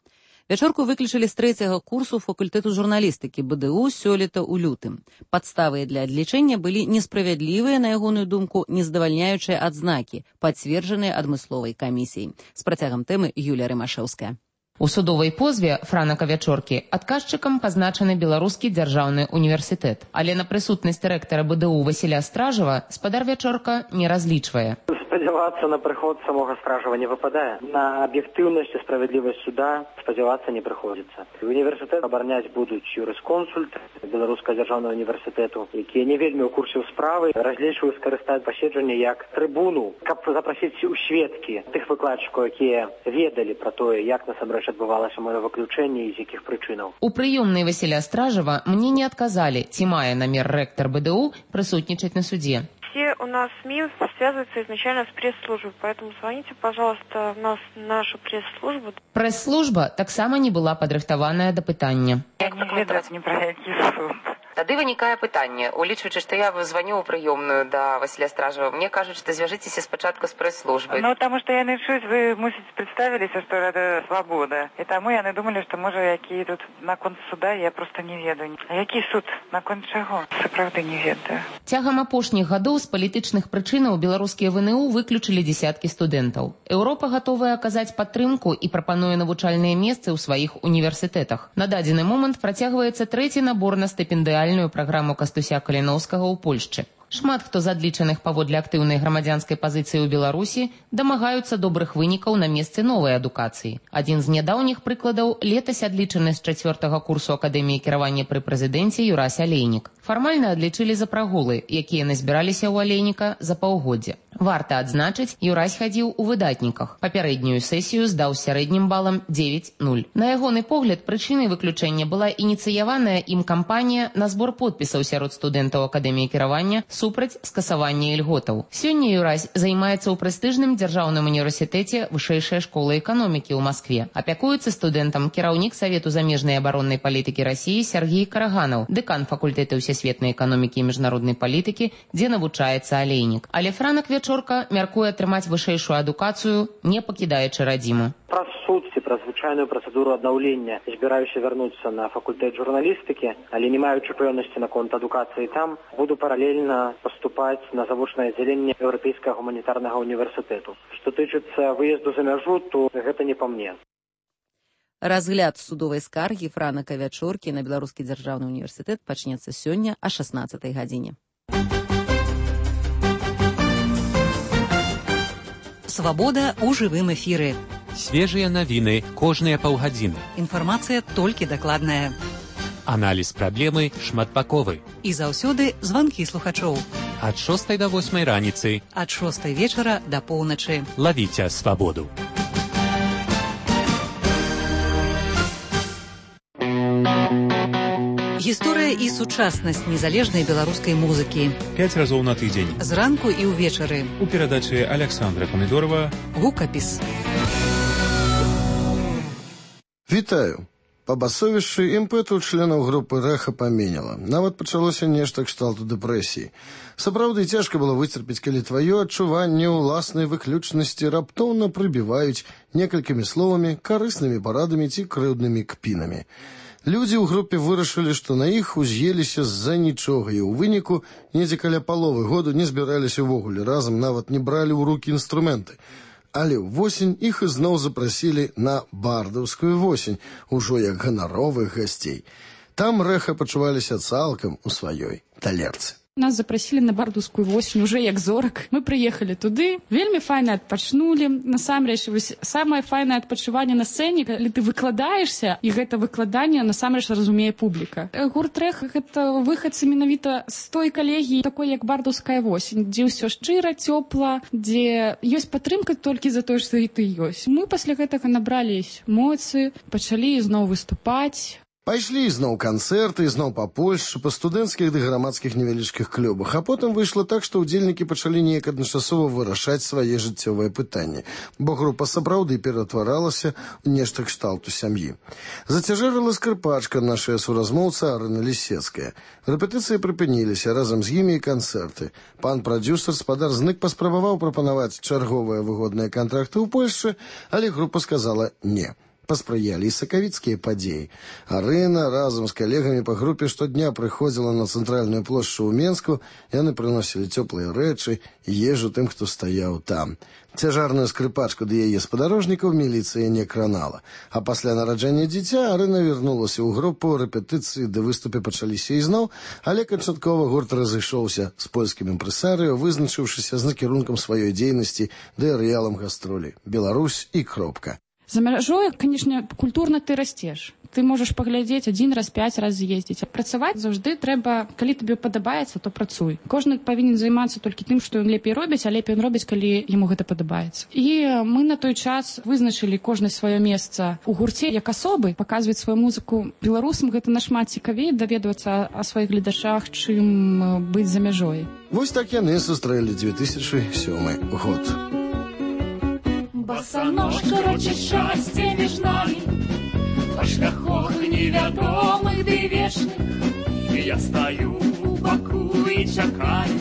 S1: Вячорку выключылі з трэцяга курсу факультэту журналістыкі бэ дэ у сёлета ў лютым. Падставы для адлічэння былі несправядлівыя, на ягоную думку, нездавальняючыя адзнакі, пацверджаныя адмысловай камісіяй. З працягам тэмы Юлія Рымашэўская.
S5: У судовай позве Франака Вячоркі адказчыкам пазначаны Беларускі дзяржаўны універсітэт. Але на прысутнасць рэктара бэ дэ у Васіля Стражава спадар Вячорка не разлічвае.
S6: Спадзявацца на прыход самога Стражава не выпадае. На аб'ектыўнасць і справядлівасць суда спадзявацца не прыходзіцца. Універсітэт абараняць будуць юрысконсульт Беларускага дзяржаўнага універсітэту, якія не вельмі ў курсе справы, разлічваюць скарыстаць паседжанне як трыбуну, каб запрасіць у сведкі тых выкладчыкаў, якія ведалі пра тое, як насамрэч адбывалася маё выключэнне і з якіх прычынаў.
S5: У прыёмнай Васіля Стражава мне не адказалі, ці мае намер рэктар бэ дэ у прысутнічаць на суде.
S7: Все у нас СМИ связываются изначально с пресс-службой, поэтому звоните, пожалуйста, в нас, нашу пресс-службу.
S5: Пресс-служба таксама не была падрыхтаваная да пытання.
S7: Як не ведаць ні пра які суд.
S5: Тады вынікае пытанне, улічваючы, што я званю ў прыёмную да Васіля Стражава, мне кажуць, што звяжыцеся спачатку з прэс-службай.
S7: Ну, таму што яны чуць, вы, мусіць, прадставіліся, што гэта свабода. І таму яны думалі, што, можа, які тут наконт суда, я проста не ведаю. А які суд? Наконт чаго? Сапраўды не ведаю.
S5: Цягам апошніх гадоў з палітычных прычынаў беларускія вэ эн у выключылі дзесяткі студэнтаў. Еўропа гатовая аказаць падтрымку і прапануе навучальныя месцы ў сваіх універсітэтах. На дадзены момант працягваецца трэці набор на стыпендыяльную праграму Кастуся Каліноўскага ў Польшчы. Шмат хто з адлічаных паводле актыўнай грамадзянскай пазіцыі ў Беларусі дамагаюцца добрых вынікаў на месцы новай адукацыі. Адзін з нядаўніх прыкладаў летась адлічаны з чацвёртага курсу Акадэміі кіравання пры прэзідэнце Юрась Алейнік. Фармальна адлічылі за прагулы, якія назбіраліся ў Алейніка за паўгоддзя. Варта адзначыць, Юрась хадзіў у выдатніках. Папярэднюю сесію здаў з сярэднім балам дзевяць нуль. На ягоны погляд, прычынай выключэння была ініцыяваная ім кампанія на збор подпісаў сярод студэнтаў Акадэміі кіравання супраць скасавання ільготаў. Сёння Юрась займаецца ў прэстыжным дзяржаўным універсітэце Вышэйшая школа эканомікі ў Маскве. Апякуецца студэнтам кіраўнік Савету замежнай абароннай палітыкі Расіі Сергей Караганаў, дэкан факультэта ўсесветнай эканомікі і міжнароднай палітыкі, дзе навучаецца Алейнік. Але Франак Вячорка мяркуе атрымаць вышэйшую адукацыю, не пакідаючы радзіму.
S6: Праз праз звычайную працэдуру аднаўлення збіраюся вярнуцца на факультэт журналістыкі, але не маючы пэўнасці наконт адукацыі там, буду паралельна паступаць на завочнае аддзяленне Еўрапейскага гуманітарнага універсітэту. Што тычыцца выезду за мяжу, то гэта не па мне.
S1: Разгляд судовай скаргі Франака Вячоркі на Беларускі дзяржаўны універсітэт пачнецца сёння а шаснаццатай гадзіне.
S8: Свабода ў жывым эфіры.
S21: Свежыя навіны кожныя паўгадзіны.
S8: Інфармацыя толькі дакладная.
S21: Аналіз праблемы шматбаковы.
S8: І заўсёды званкі слухачоў.
S21: Ад шостай да восьмай раніцы.
S8: Ад шостай вечара да поўначы.
S21: Лавіце свабоду.
S8: Гісторыя і сучаснасць незалежнай беларускай музыкі.
S9: Пяць разоў на тыдзень.
S8: Зранку і ўвечары.
S9: У перадачы Александра Памідорова.
S8: Гукапіс.
S10: Вітаю. Па басовішчы імпэту членаў групы рэха паменяла. Нават пачалося нешта кшталту дэпрэсіі. Сапраўды цяжка было выцерпець, калі тваё адчуванне ўласнай выключнасці раптоўна прыбіваюць некалькімі словамі, карыснымі парадамі ці крыўднымі кпінамі. Людзі ў групе вырашылі, што на іх уз'еліся з-за нічога і ў выніку недзе каля паловы году не збіраліся ўвогуле разам, нават не бралі ў рукі інструменты. Але ўвосень іх ізноў запрасілі на бардаўскую восень, ужо як ганаровых гасцей. Там рэха пачуваліся цалкам у сваёй талерцы.
S11: Нас запрасілі на бардаўскую восень уже як зорак. Мы прыехалі туды, вельмі файна адпачнулі. Насамрэч, вось самае файнае адпачыванне на сцэне, калі ты выкладаешся, і гэта выкладанне насамрэч разумее публіка. Гурт рэха гэта выхадцы менавіта з той калегіі, такой як бардаўская восень, дзе ўсё шчыра, цёпла, дзе ёсць падтрымка толькі за тое, што і ты ёсць. Мы пасля гэтага набралі эмоцыі, пачалі ізноў выступаць.
S10: Пайшлі ізноў канцэрты, ізноў па Польшчы, па студэнцкіх ды грамадскіх невялічкіх клубах, а потым выйшла так, што ўдзельнікі пачалі неяк адначасова вырашаць свае жыццёвыя пытанні, бо група сапраўды ператваралася ў нешта кшталту сям'і. Зацяжэрыла скрыпачка нашая суразмоўца Арына Лісецкая. Рэпетыцыі прыпыніліся, разам з імі і канцэрты. Пан прадзюсар спадар Знык паспрабаваў прапанаваць чарговыя выгодныя кантракты ў Польшчы, але група сказала «не». Паспрыялі і сакавіцкія падзеі. Арына разам з калегамі па групе штодня прыходзіла на цэнтральную плошчу ў Менску, яны прыносілі цёплыя рэчы і ежу тым, хто стаяў там. Цяжарную скрыпачку ды яе спадарожнікаў міліцыя не кранала. А пасля нараджэння дзіця Арына вярнулася ў групу, рэпетыцыі ды выступы пачаліся ізноў, але канчаткова гурт разышоўся з польскім імпрэсарыё, вызначыўшыся з накірункам сваёй дзейнасці ды арэалам гастролі «Беларусь» і «Кропка».
S11: За мяжой, конечно, культурна ты расцеш. Ты можаш паглядзець адзін раз, пяць раз з'ездзіць. Працаваць заўжды трэба, калі табе падабаецца, то працуй. Кожны павінен займацца толькі тым, што ён лепей робіць, а лепей ён робіць, калі яму гэта падабаецца. І мы на той час вызначылі кожнае сваё месца ў гурце як асобы, паказваць сваю музыку беларусам. Гэта нашмат цікавей даведвацца о сваіх гледачах, чым быць за мяжой.
S10: Вось так яны сустрэлі дзве тысячы сёмы год.
S12: Босоножка рочит счастье между нами, по шляхах невядомых ды вечных. Я стою у баку и чакаю,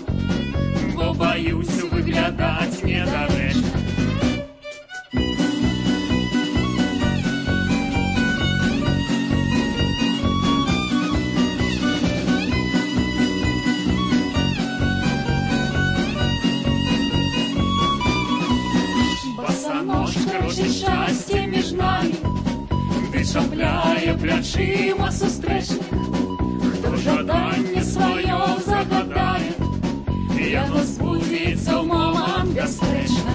S12: бо боюсь выглядать недарэчна. Крочить счастье между нами, ты шапляе плячыма сустрэчных. Хто жаданне сваё загадае, яно збудзецца ў момант бясспрэчна.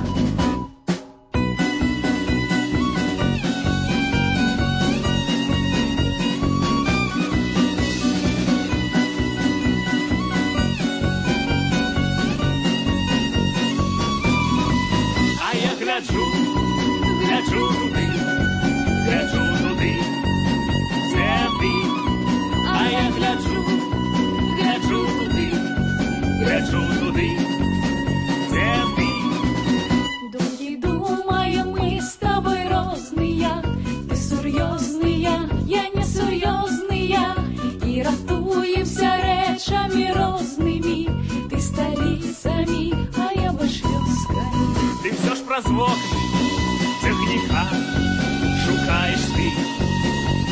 S12: А я гляджу, гляджу туды, гляджу туды, дзе ты. А я гляджу, гляджу туды, гляджу туды, дзе ты. Думкі думаем мы з тобой розныя, ты сур'ёзныя, я не сур'ёзныя, і ратуемся рэчамі рознымі, ты сталіцамі, а я больш вёскамі. Ты всё ж праз вокны цягніка шукаешь. шукаешь ты,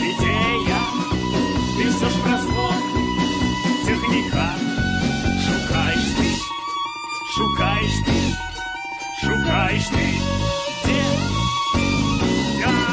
S12: идея, ты все ж прозлог, техника. Шукаешь ты, шукаешь ты, шукаешь ты, где я?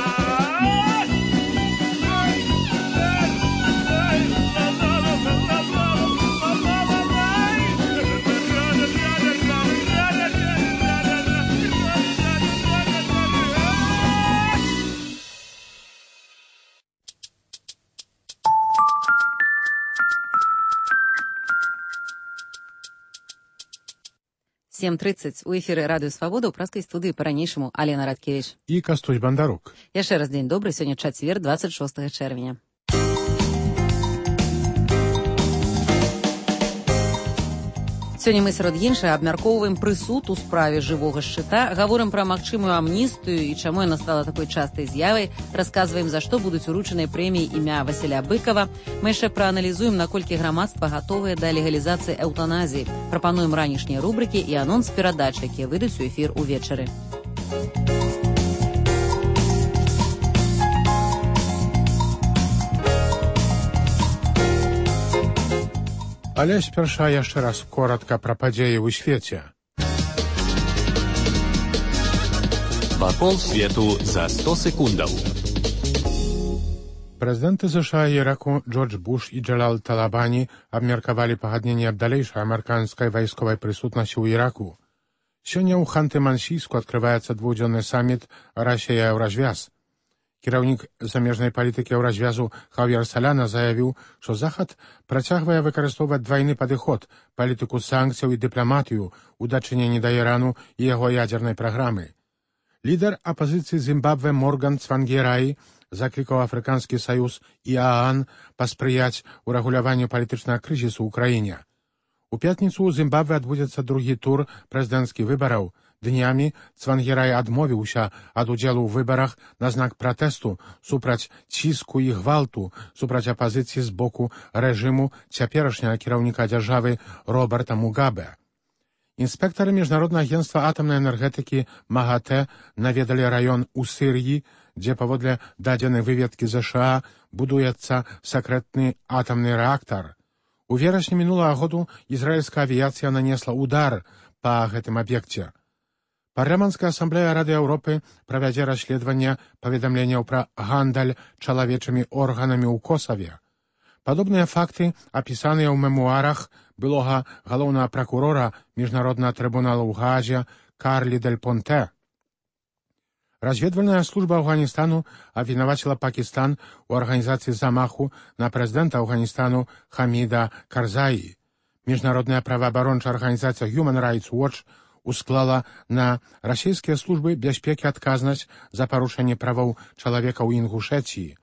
S1: сем тридцать у эфіры радыё Свабода ў праскай студыі па-ранейшаму Алена Радкевіч
S2: і Кастусь Бандарук.
S1: Яшчэ раз дзень добры, сёння чацвер, двадцать шостага чэрвеня. Сёння мы сярод іншага абмяркоўваем прысуд у справе жывога шчыта, гаворым пра магчымую амністыю і чаму яна стала такой частай з'явай, расказваем, за што будуць уручаныя прэміі імя Васіля Быкова. Мы яшчэ прааналізуем, наколькі грамадства гатовае да легалізацыі эўтаназіі. Прапануем ранішнія рубрыкі і анонс перадач, якія выйдуць у эфір увечары.
S2: Але спярша яшчэ раз коротка пра падзеі ў свеце.
S21: Вакол свету за сто секундаў.
S2: Прэзідэнты ЗША і Іраку Джордж Буш і Джалал Талабані абмеркавалі пагадненне аб далейшай амерыканскай вайсковай прысутнасці ў Іраку. Сёння ў Ханты-Мансійску адкрываецца двухдзённы саміт Расія-Еўразвяз. Кіраўнік замежнай палітыкі Еўразвязу Хав'ер Саляна заявіў, што Захад працягвае выкарыстоўваць двайны падыход, палітыку санкцыяў і дыпламатыю ў дачыненні да Ірану і яго ядзернай праграмы. Лідар апазіцыі Зімбабве Морган Цвангераі заклікаў Афрыканскі саюз і ААН паспрыяць урэгуляванню палітычнага крызісу ў краіне. У пятніцу ў Зімбабве адбудзецца другі тур прэзідэнцкіх выбараў. Днямі Цвангерай адмовіўся ад удзелу ў выбарах на знак пратэсту супраць ціску і гвалту, супраць апазіцыі з боку рэжыму цяперашняга кіраўніка дзяржавы Роберта Мугабе. Інспектары міжнароднага агенцтва атамнай энергетыкі МАГАТЭ наведалі раён у Сірыі, дзе паводле дадзенай выведкі ЗША будуецца сакрэтны атамны рэактар. У верасні мінулага году ізраільская авіяцыя нанесла удар па гэтым аб'екце. Парламенцкая асамблея Рады Еўропы правядзе расследаванне паведамленняў пра гандаль чалавечымі органамі ў Косаве. Падобныя факты апісаныя ў мемуарах былога галоўнага пракурора міжнароднага трыбунала ў Гаазе Карлі Дель Понте. Разведвальная служба Афганістану абвінаваціла Пакістан у арганізацыі замаху на прэзідэнта Афганістану Хаміда Карзаі. Міжнародная праваабарончая арганізацыя Human Rights Watch усклала на расійскія службы бяспекі адказнасць за парушэнне правоў чалавека ў Інгушэцыі.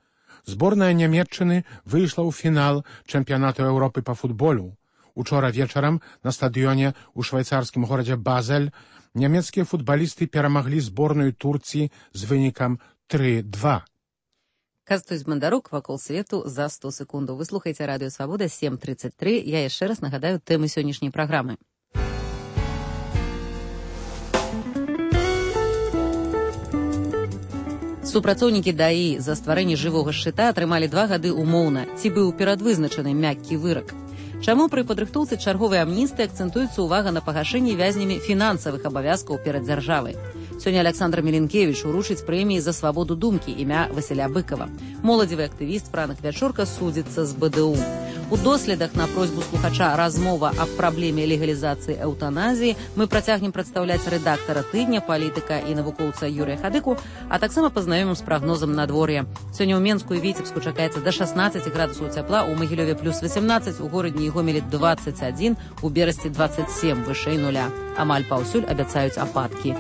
S2: Зборная Нямецчыны выйшла ў фінал чэмпіянату Еўропы па футболу. Учора вечарам на стадыёне ў швайцарскім горадзе Базель нямецкія футбалісты перамаглі зборную Турцыі з вынікам тры два.
S1: Кастусь Бандарук, вакол свету за сто секундаў. Вы слухаеце радыё Свабода сем тридцать три. Я яшчэ раз нагадаю тэмы сённяшняй праграмы. Супрацоўнікі ДАІ за стварэнне жывога шчыта атрымалі два гады умоўна. Ці быў перадвызначаны мяккі вырак? Чаму пры падрыхтоўцы чарговай амністыі акцэнтуецца ўвага на пагашэнні вязнямі фінансавых абавязкаў перад дзяржавай? Сёння Александр Меленкевич уручыць прэміі за свабоду думкі імя Васіля Быкова. Моладзевы актывіст Франак Вячорка судзіцца з БДУ. У доследах на просьбу слухача «Размова аб праблеме легалізацыі эўтаназіі» мы працягнем прадстаўляць рэдактара тыдня, палітыка і навукоўца Юрыя Хадыку, а таксама пазнаёмім з прагнозам надвор'я. Сёння ў Менску і Віцебску чакаецца да шаснаццаці градусаў цяпла, у Магілёве плюс васемнаццаць, у горадні і Гомелі дваццаць адзін, у Берасці дваццаць сем, вышэй нуля. Амаль паўсюль абяцаюць ападкі.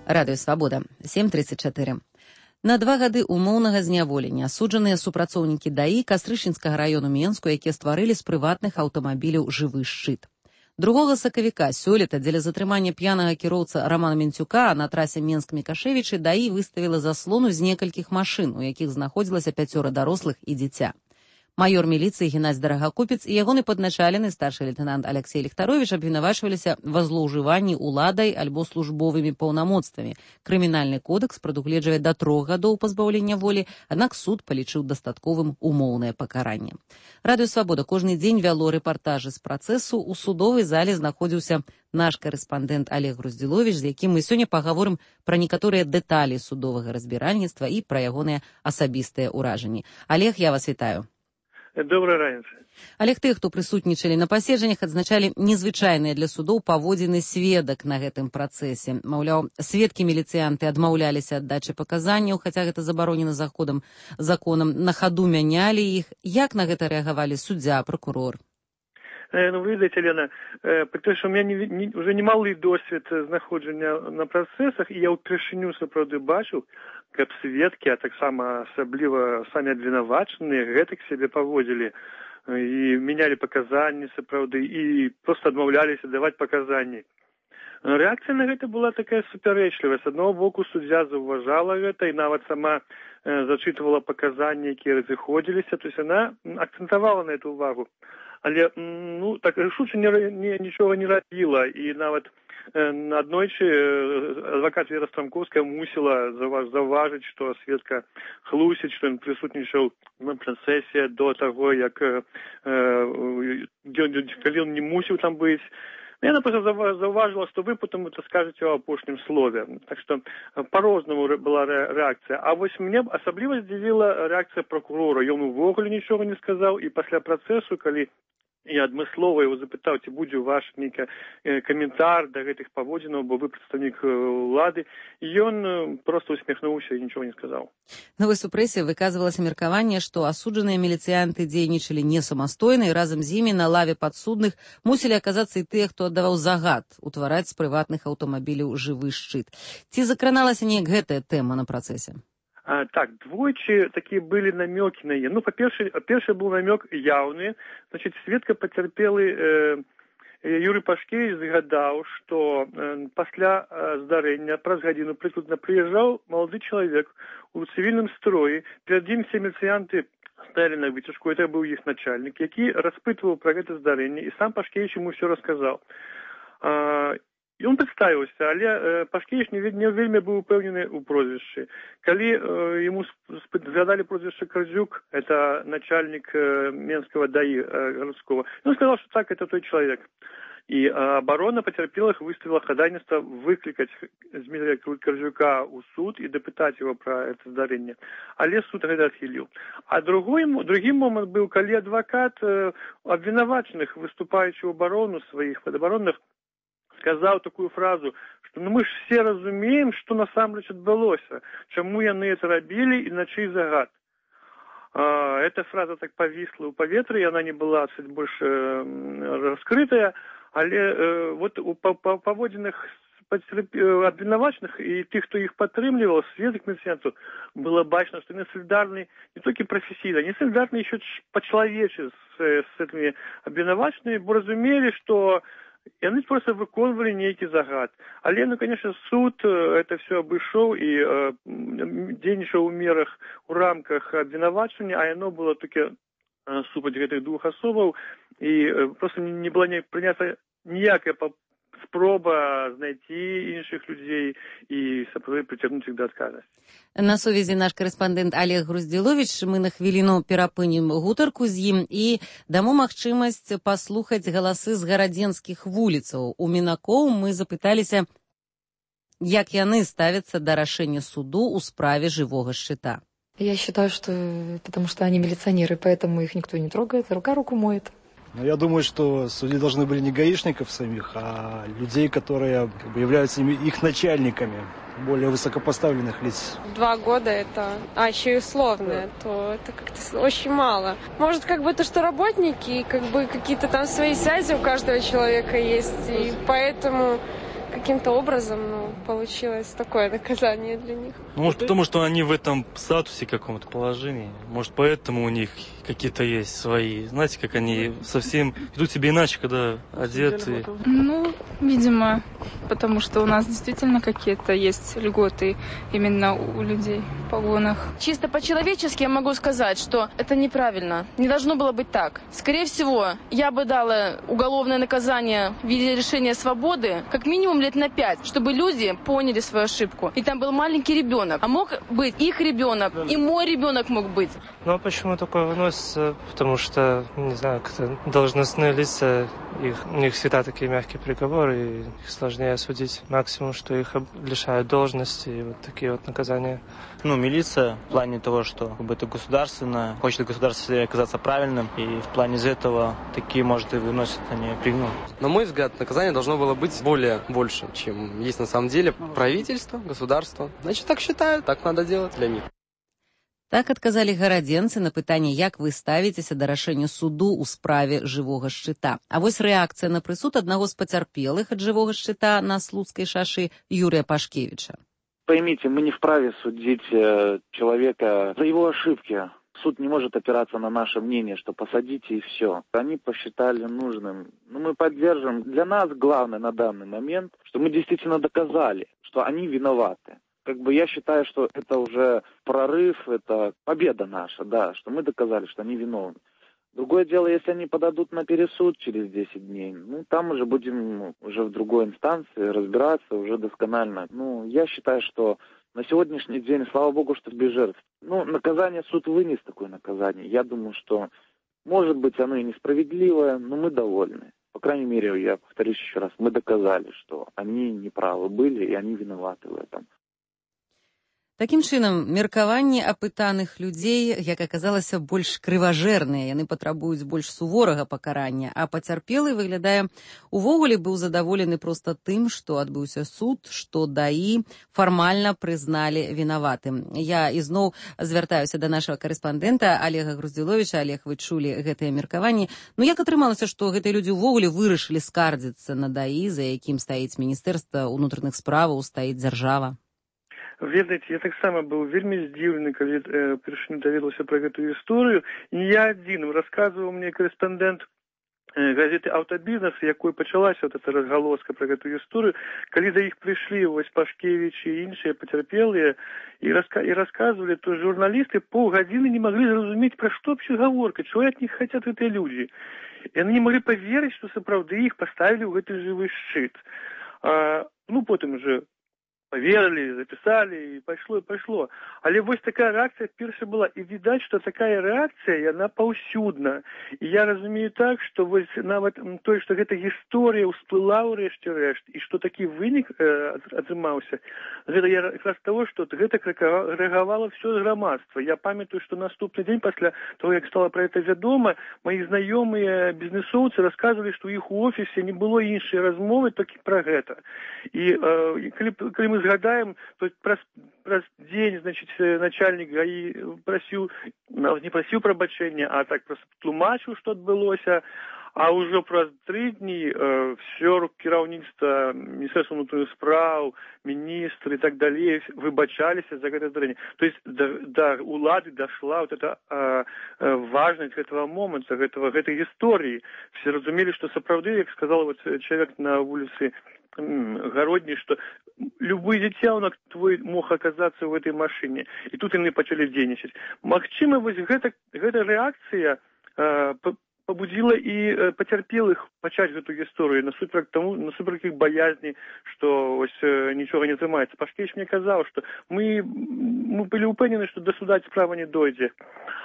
S1: Радыё Свабода, сем тридцать чатыры. На два гады умоўнага зняволення асуджаныя супрацоўнікі ДАІ Кастрычынскага раёну Менску, якія стварылі з прыватных аўтамабіляў жывы шчыт. Другога сакавіка сёлета дзеля затрымання п'янага кіроўца Рамана Менцюка на трасе Менск-Мікашевічы ДАІ выставіла заслону з некалькіх машын, у якіх знаходзілася пяцёра дарослых і дзіця. Маёр міліцыі Геннадзь Дарагакупец і ягоны падначалены старшы лейтенант Алексей Ліхтарович абвінавачваліся ва злоўжыванні уладай альбо службовымі паўнамоцтвамі. Крымінальны кодэкс прадугледжвае да трох гадоў пазбаўлення волі, аднак суд палічыў дастатковым умоўнае пакаранне. Радыё Свабода кожны дзень вяло рэпартажы з працэсу. У судовай зале знаходзіўся наш карэспандэнт Олег Груздзіловіч, з якім мы сёння пагаворым пра некаторыя дэталі судовага разбіральніцтва і пра ягоныя асабістыя ўражанні. Олег, я вас вітаю.
S23: Добрая раніца.
S1: Олег, тых, хто прысутнічалі на паседжаннях, адзначалі незвычайныя для судоў паводзіны сведак на гэтым працэсе. Маўляў, сведкі міліцыянты адмаўляліся ад дачы паказанняў, хаця гэта забаронена заходам законам, на хаду мянялі іх. Як на гэта рэагавалі суддзя, прокурор?
S23: Ну, вы видите, Лена, потому что у меня не, не, уже немалый досвід знаходження на працэсах, і я ўпершыню сапраўды бачыў, каб сведкі, а таксама асабліва самі абвінавачаныя, гэтак сябе паводзілі і мянялі паказанні сапраўды, і проста адмаўляліся даваць паказанні. Рэакцыя на гэта была такая супярэчлівая. З аднаго боку, суддзя заўважала гэта і нават сама э, зачытывала паказанні, якія разыходзіліся, то есть яна акцэнтавала на эту увагу. Але, ну, так рашуча не, не, нічога не рабіла, і нават э, аднойчы э, адвакат Вера Страмковская мусіла заўваж, заўважыць, што сведка хлусіць, што ён прысутнічаў на працэсе до таго, як э, э, калі ён не мусіў там быць. Яна просто заўважила, што вы потом это скажете ў апошнім слове. Так што по-рознаму была рэакцыя. А вось мне асабліва здзівіла рэакцыя прокурора. Ён увогуле нічога не сказаў, і пасля працэсу, калі я адмыслова его запытаў, ці будзе ваш нейкі каментар да гэтых паводзінаў, бо вы прадстаўнік улады, і ён просто усміхнуўся і нічога не сказаў.
S1: На вось у прэсе выказвалася меркаванне, што асуджаныя міліцыянты дзейнічалі не самастойна, і разам з імі на лаве падсудных мусілі аказацца і тыя, хто аддаваў загад утвараць з прыватных аўтамабіляў жывы шчыт. Ці закраналася неяк гэтая тэма на працэсе?
S23: А, так, двойчы такие были намеки на ее. Ну, по-перше, перший был намек явный. Значит, сведка потерпелый э, Юрий Пашкевич загадал, что э, после э, здарения, праз гадзіну прыкладна, приезжал молодой человек у цивильном строе. Перед ним все милицианты стояли на вытяжку, это был их начальник, який распытывал про это здарение, и сам Пашкевич ему все рассказал. А, І он прадставіўся, але э, Пашкевич не, не вельмі быў упэўнены ў прозвішчы. Калі э, ему згадалі прозвішча Кардзюк, это начальник э, Менского ДАИ э, городского, он сказал, что так, это той человек. И э, оборона потерпелых выставила ходатайство выкликать Дмитрия Кардзюка у суд и допытать его про это здарение. Але суд это отхилил. А другой, другим момент был, когда адвокат э, обвинуваченных, выступающий в оборону своих подоборонных, сказал такую фразу, что ну мы ж все разумеем, что насамрэч адбылося, чаму яны это рабілі і на чый загад. А, эта фраза так повисла ў паветры, и она не была чуть больше э, раскрытая, але э, вот у паводзінах абвінавачаных і тых, хто іх падтрымліваў, сведак міліцыянтаў, было бачно, что они солидарны не только профессийно, они солидарны еще по-человечески с, с этими абвінавачанымі, бо разумели, что яны просто выконвалі нейкі загад. Але, ну, конечно, суд это все абышоў і э, дзейнічаў у мерах, у рамках абвінавачання, а яно было толькі э, супраць гэтых двух асобаў, і э, просто не была не прынята ніякая спроба знайти іншых людзей і сапраўды прыцягнуць іх да адказнасці.
S1: На сувязі наш карэспандэнт Олег Груздзіловіч. Мы на хвіліну перапынем гутарку з ім і дамо магчымасць паслухаць галасы з гарадзенскіх вуліцаў. У мінакоў мы запыталіся, як яны ставяцца да рашэння суду ў справе жывога шчыта.
S13: Я считаю, что потому что они милиционеры, поэтому их никто не трогает, рука руку моет.
S14: Но я думаю, что судьи должны были не гаишников самих, а людей, которые как бы, являются их начальниками, более высокопоставленных лиц.
S15: Два года это, а еще и условное, то это как-то очень мало. Может, как бы то, что работники, как бы какие-то там свои связи у каждого человека есть, и поэтому каким-то образом ну, получилось такое наказание для них.
S16: Ну, может, потому что они в этом статусе каком-то положении. Может, поэтому у них какие-то есть свои. Знаете, как они совсем ведут себя иначе, когда одеты.
S17: Ну, видимо, потому что у нас действительно какие-то есть льготы именно у людей в погонах.
S18: Чисто по-человечески я могу сказать, что это неправильно. Не должно было быть так. Скорее всего, я бы дала уголовное наказание в виде лишения свободы как минимум лет на пять, чтобы люди поняли свою ошибку. И там был маленький ребенок. А мог быть их ребенок, и мой ребенок мог быть.
S19: Ну а почему такое выносится? Потому что, не знаю, как-то должностные лица, их, у них всегда такие мягкие приговоры, и их сложнее осудить. Максимум, что их лишают должности, и вот такие вот наказания.
S20: Ну, милиция в плане того, что как бы, это государственное, хочет государство оказаться правильным, и в плане из этого такие, может, и выносят они пригну.
S26: На мой взгляд, наказание должно было быть более больше, чем есть на самом деле. Правительство, государство. Значит, так считают, так надо делать для них.
S1: Так адказалі гарадзенцы на пытанне, як вы ставіцеся да рашэння суду ў справе жывога шчыта. А вось рэакцыя на прысуд аднаго з пацярпелых ад жывога шчыта на Слуцкай шашы Юрия Пашкевича.
S27: Поймите, мы не вправе судить человека за его ошибки. Суд не может опираться на наше мнение, что посадите и все. Они посчитали нужным. Но мы поддержим. Для нас главное на данный момент, что мы действительно доказали, что они виноваты. Как бы я считаю, что это уже прорыв, это победа наша, да, что мы доказали, что они виновны. Другое дело, если они подадут на пересуд через десять дней, ну, там уже будем ну, уже в другой инстанции разбираться уже досконально. Ну, я считаю, что на сегодняшний день, слава богу, что без жертв. Ну, наказание суд вынес такое наказание. Я думаю, что, может быть, оно и несправедливое, но мы довольны. По крайней мере, я повторюсь еще раз, мы доказали, что они неправы были, и они виноваты в этом.
S1: Такім чынам, меркаванні апытаных людзей, як аказалася, больш крыважэрныя, яны патрабуюць больш суворага пакарання, а пацярпелы, выглядае, увогуле быў задаволены проста тым, што адбыўся суд, што даі фармальна прызналі вінаватым. Я ізноў звяртаюся да нашага карэспандэнта Олега Груздзіловіча. Олег, вы чулі гэтыя меркаванні. Ну як атрымалася, што гэтыя людзі ўвогуле вырашылі скардзіцца на даі, за якім стаіць Міністэрства ўнутраных справаў, стаіць дзяржава?
S28: Ведаеце, я таксама быў вельмі здзіўлены, калі э, першыню даведаўся пра гэтую гісторыю. І не я адзін. Расказваў мне карэспандэнт э, газеты «Аўтабізнес», якой пачалася вот эта разгалоска пра гэтую гісторыю, калі да іх прыйшлі вось Пашкевіч і іншыя пацярпелыя і, раска і расказвалі, то журналісты паўгадзіны не маглі зразумець, пра што вообще гаворка, чего ад них хотят гэтыя людзі. І яны не маглі паверыць, што сапраўды іх паставілі ў гэты жывы шчыт. А, ну, потым уже поверили, записали, и пошло, и пошло. Але вось такая реакция перша была. И видать, что такая реакция, она паўсюдна. И я разумею так, что вось нават то, что эта история всплыла ў рэшце рэшт, и что такі вынік э, атрымаўся, гэта я как раз того, что гэта рэагавала все грамадства. Я памятаю, что наступны дзень пасля того, як стало про это вядома, мои знаёмыя бізнесоўцы рассказывали, что у іх у офісе не было іншай размовы толькі про гэта. И э, калі, калі мы згадаем, то праз, праз дзень, значит, начальник ГАИ просіў, не просіў прабачэння, а так просто тлумачыў, што адбылося, а ўжо праз тры дні э, все кіраўніцтва Міністэрства ўнутраных спраў, міністры и так далее выбачаліся за гэта здарэнне. То есть до, до улады дошла вот эта э, важность этого момента, этого, этой истории. Все разумели, что сапраўды, как сказал вот человек на улице Городний, что любой дзіцянок твой мог оказаться в этой машине. И тут яны пачалі дзейнічаць. Магчыма, вось гэта, гэта рэакцыя э, побудила и э, потерпелых пачаць эту историю насуперак тому, насуперак их боязни, что ось, э, ничего не атрымаецца. Пашкевич мне казал, что мы, мы были упэўнены, что до суда справа не дойдзе.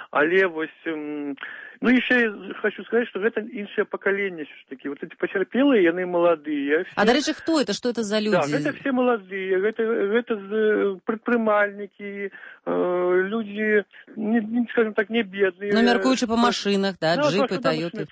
S28: Але вось, э, ну еще я хочу сказать, что это іншае поколение все-таки. Вот эти потерпелые, яны молодые. Все...
S1: А, до речі, кто это? Что это за люди?
S28: Да, это все молодые, это, это предпринимальники, э, люди, не, не, скажем так, не бедные.
S1: Ну, меркуючи по машинах, да,
S28: да,
S1: джипы, Тойоты.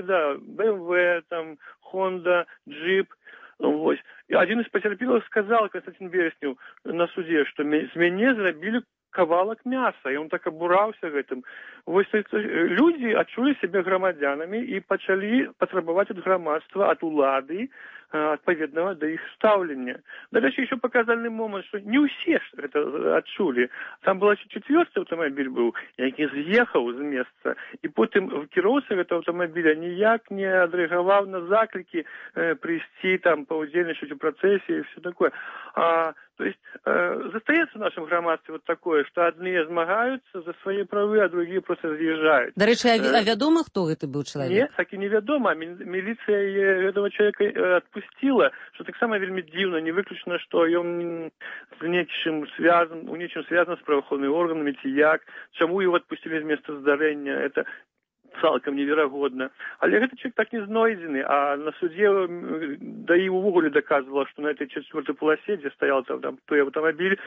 S28: Да, бэ эм вэ, там, Honda, джип. Вот. И один из потерпелых сказал, Константин Береснев, на суде, что с меня зрабили кавалак мяса, і он так абураўся гэтым. Вось людзі адчулі сябе грамадзянамі і пачалі патрабаваць ад грамадства, ад улады адпаведнага да іх стаўлення. Дарэчы, еще паказальны момант, што не ўсе ж гэта адчулі. Там был чацвёрты аўтамабіль быў, які з'ехаў з месца, і потым кіроўца гэтага аўтамабіля ніяк не адрэагаваў на заклікі э, прыйсці там паўдзельнічаць у працэсе і все такое. А, то есть э, застаецца в нашем грамадстве вот такое, што адныя змагаюцца за свае правы, а другія просто з'язджаюць.
S1: Дарэчы, а, а вядома, хто гэта быў чалавек?
S28: Не, так і невядома. Міліцыя гэтага чалавека адпусціла, што таксама вельмі дзіўна, не выключана, што ён з нечым связан, у нечым связан з праваахоўнымі органамі ці як, чаму его адпусцілі з месца здарэння, это цалкам неверагодна. Але гэты чалавек так не знойдзены, а на судзе да і увогуле даказвала, што на этой чацвёртай полосе, дзе стаял там, там той аўтамабіль,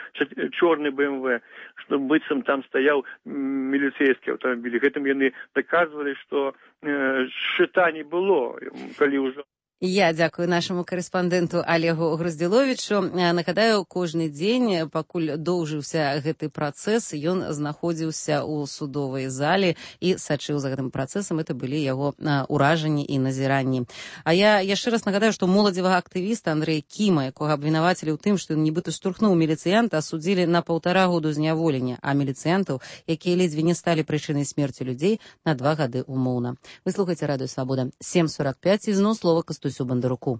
S28: чорны бэ эм вэ, што быццам там стаяў міліцейскі аўтамабіль. Гэтым яны даказвалі, што э, шчыта не было, калі ўжо.
S1: Я дзякую нашаму карэспандэнту Олегу Груздзіловічу. Нагадаю, кожны дзень, пакуль доўжыўся гэты працэс, ён знаходзіўся ў судовай зале і сачыў за гэтым працэсам. Это былі яго ўражанні і назіранні. А я яшчэ раз нагадаю, што моладзевага актывіста Андрэя Кіма, якога абвінавацілі ў тым, што ён нібыта штурхнуў міліцыянта, асудзілі на паўтара году зняволення, а міліцыянтаў, якія ледзьве не сталі прычынай смерці людзей, на два гады умоўна. Вы слухаеце Радыё Свабода. сем сорок пять, і зноў слова Кастусю Бандаруку.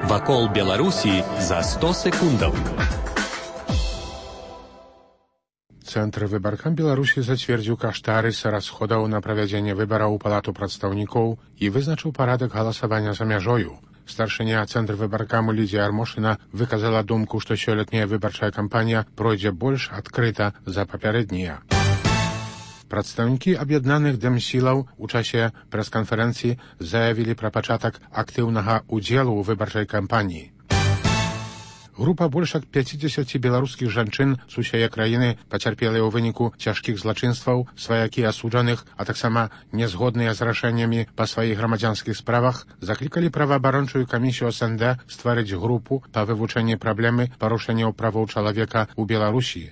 S21: Вакол Беларусі за сто секундаў.
S2: Цэнтр выбаркам Беларусі зацвердзіў каштарыс расходаў на правядзенне выбараў у палату прадстаўнікоў і вызначыў парадак галасавання за мяжою. Старшыня цэнтр выбаркаму Лідзія Армошына выказала думку, што сёлетняя выбарчая кампанія пройдзе больш адкрыта за папярэднія. Прадстаўнікі аб'яднаных дэмсілаў у часе прэс-канферэнцыі заявілі пра пачатак актыўнага ўдзелу ў выбарчай кампаніі. Група больш як пяцідзесяці беларускіх жанчын з усяе краіны пацярпелыя ў выніку цяжкіх злачынстваў, сваякі асуджаных, а таксама нязгодныя з рашэннямі па сваіх грамадзянскіх справах, заклікалі праваабарончую камісію эс эн дэ стварыць групу па вывучэнні праблемы парушэнняў правоў чалавека ў Беларусі.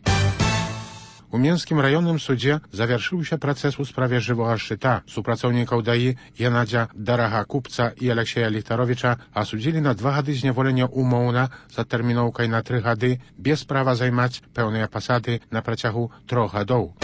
S2: У Менскім раённым судзе завяршыўся працэс у справе жывога шчыта. Супрацоўнікаў даі Геннадзя Дарагакупца і Алексея Ліхтаровіча асудзілі на два гады зняволення умоўна за тэрміноўкай на тры гады без права займаць пэўныя пасады на працягу трох гадоў.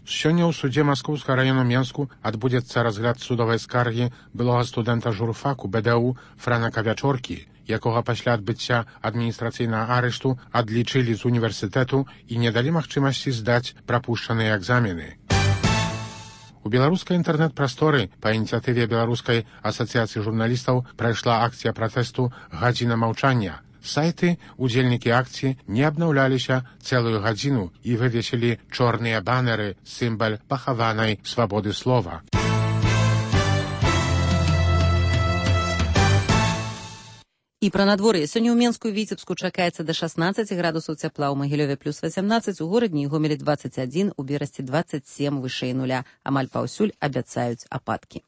S2: Сёння ў судзе Маскоўскага раёну Менску адбудзецца разгляд судовай скаргі былога студэнта журфаку бэ дэ у Франака Вячоркі, якога пасля адбыцця адміністрацыйнага арышту адлічылі з універсітэту і не далі магчымасці здаць прапушчаныя экзамены. У беларускай інтэрнэт-прасторы па ініцыятыве Беларускай асацыяцыі журналістаў прайшла акцыя пратэсту «Гадзіна маўчання». Сайты, удзельнікі акцыі не абнаўляліся цэлую гадзіну і вывесілі чорныя банеры, сімвал пахаванай свабоды слова.
S1: І пра надвор'е. Сёння ў Менску і Віцебску чакаецца да шаснаццаці градусаў цяпла, у Магілёве плюс васямнаццаць, у горадні і Гомелі дваццаць адзін, у Берасці дваццаць сем вышэй нуля. Амаль паўсюль абяцаюць ападкі.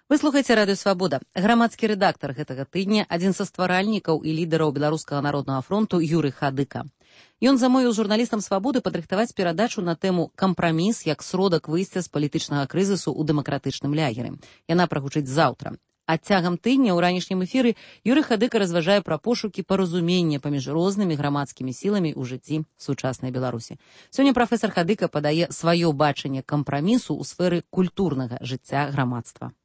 S1: Вы слухаеце Радыё Свабода. Грамадскі рэдактар гэтага тыдня, адзін са стваральнікаў і лідараў Беларускага народнага фронту Юрый Хадыка. Ён замовіў журналістам «Свабоды» падрыхтаваць перадачу на тэму «Кампраміс як сродак выйсця з палітычнага крызісу ў дэмакратычным лягеры». Яна прагучыць заўтра. А цягам тыдня ў ранішнім эфіры Юрый Хадыка разважае пра пошукі паразумення паміж рознымі грамадскімі сіламі ў жыцці сучаснай Беларусі. Сёння прафесор Хадыка падае сваё бачанне кампрамісу ў сферы культурнага жыцця грамадства.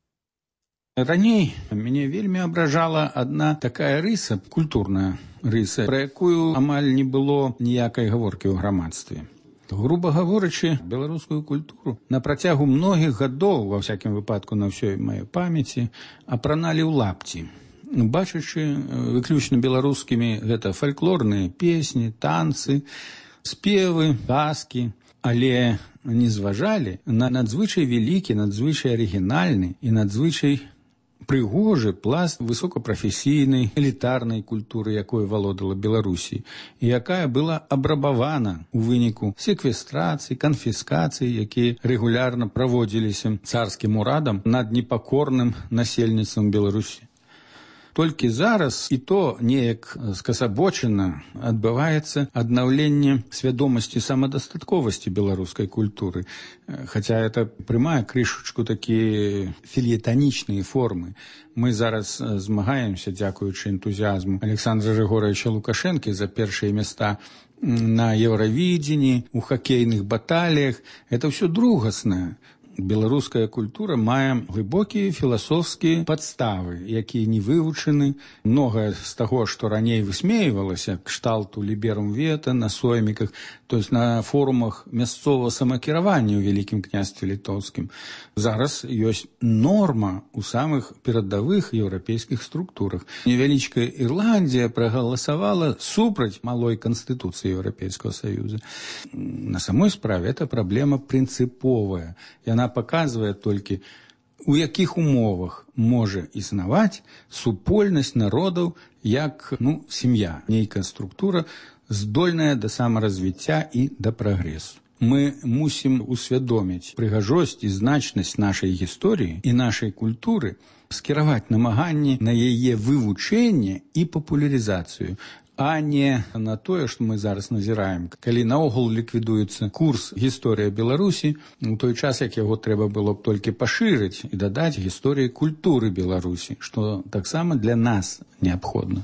S3: Раней мяне вельмі абражала адна такая рыса, культурная рыса, пра якую амаль не было ніякай гаворкі ў грамадстве. Груба гаворачы, беларускую культуру на працягу многіх гадоў, ва всякім выпадку на ўсёй маёй памяці, апраналі ў лапці. Бачачы выключна беларускімі гэта фальклорныя песні, танцы, спевы, казкі, але не зважалі на надзвычай вялікі, надзвычай арыгінальны і надзвычай прыгожы пласт высокапрафесійнай элітарнай культуры, якой валодала Беларусі, і якая была абрабавана ў выніку секвестрацыі, канфіскацыі, якія рэгулярна праводзіліся царскім урадам над непакорным насельніцтвам Беларусі. Толькі зараз і то неяк скасабочана адбываецца аднаўленне свядомасці самадастатковасці беларускай культуры. Хаця это прымае крышачку такія філетанічныя формы. Мы зараз змагаемся, дзякуючы энтузіазму Александра Григоровича Лукашэнкі за першыя места на Еўравідзені, у хакейных баталіях. Это ўсё другаснае. Беларуская культура мае глыбокія філасофскія падставы, якія не вывучаны. Многае з таго, што раней высмейвалася, кшталту ліберум вета на сойміках, то есть на форумах мясцовага самакіравання ў Вялікім княстве літоўскім, зараз ёсць норма ў самых перадавых еўрапейскіх структурах. Невялічкая Ірландія прагаласавала супраць малой канстытуцыі Еўрапейскага Саюза. На самой справе это праблема прынцыповая. Яна паказвае толькі, у якіх умовах можа існаваць супольнасць народаў як, ну, сям'я, нейкая структура, здольная да самаразвіцця і да прагрэсу. Мы мусім усвядоміць прыгажосць і значнасць нашай гісторыі і нашай культуры, скіраваць намаганні на яе вывучэнне і папулярызацыю, а не на тое, што мы зараз назіраем. Калі наогул ліквідуецца курс «Гісторыя Беларусі», у той час, як яго трэба было б толькі пашырыць і дадаць гісторыі культуры Беларусі, што таксама для нас неабходна.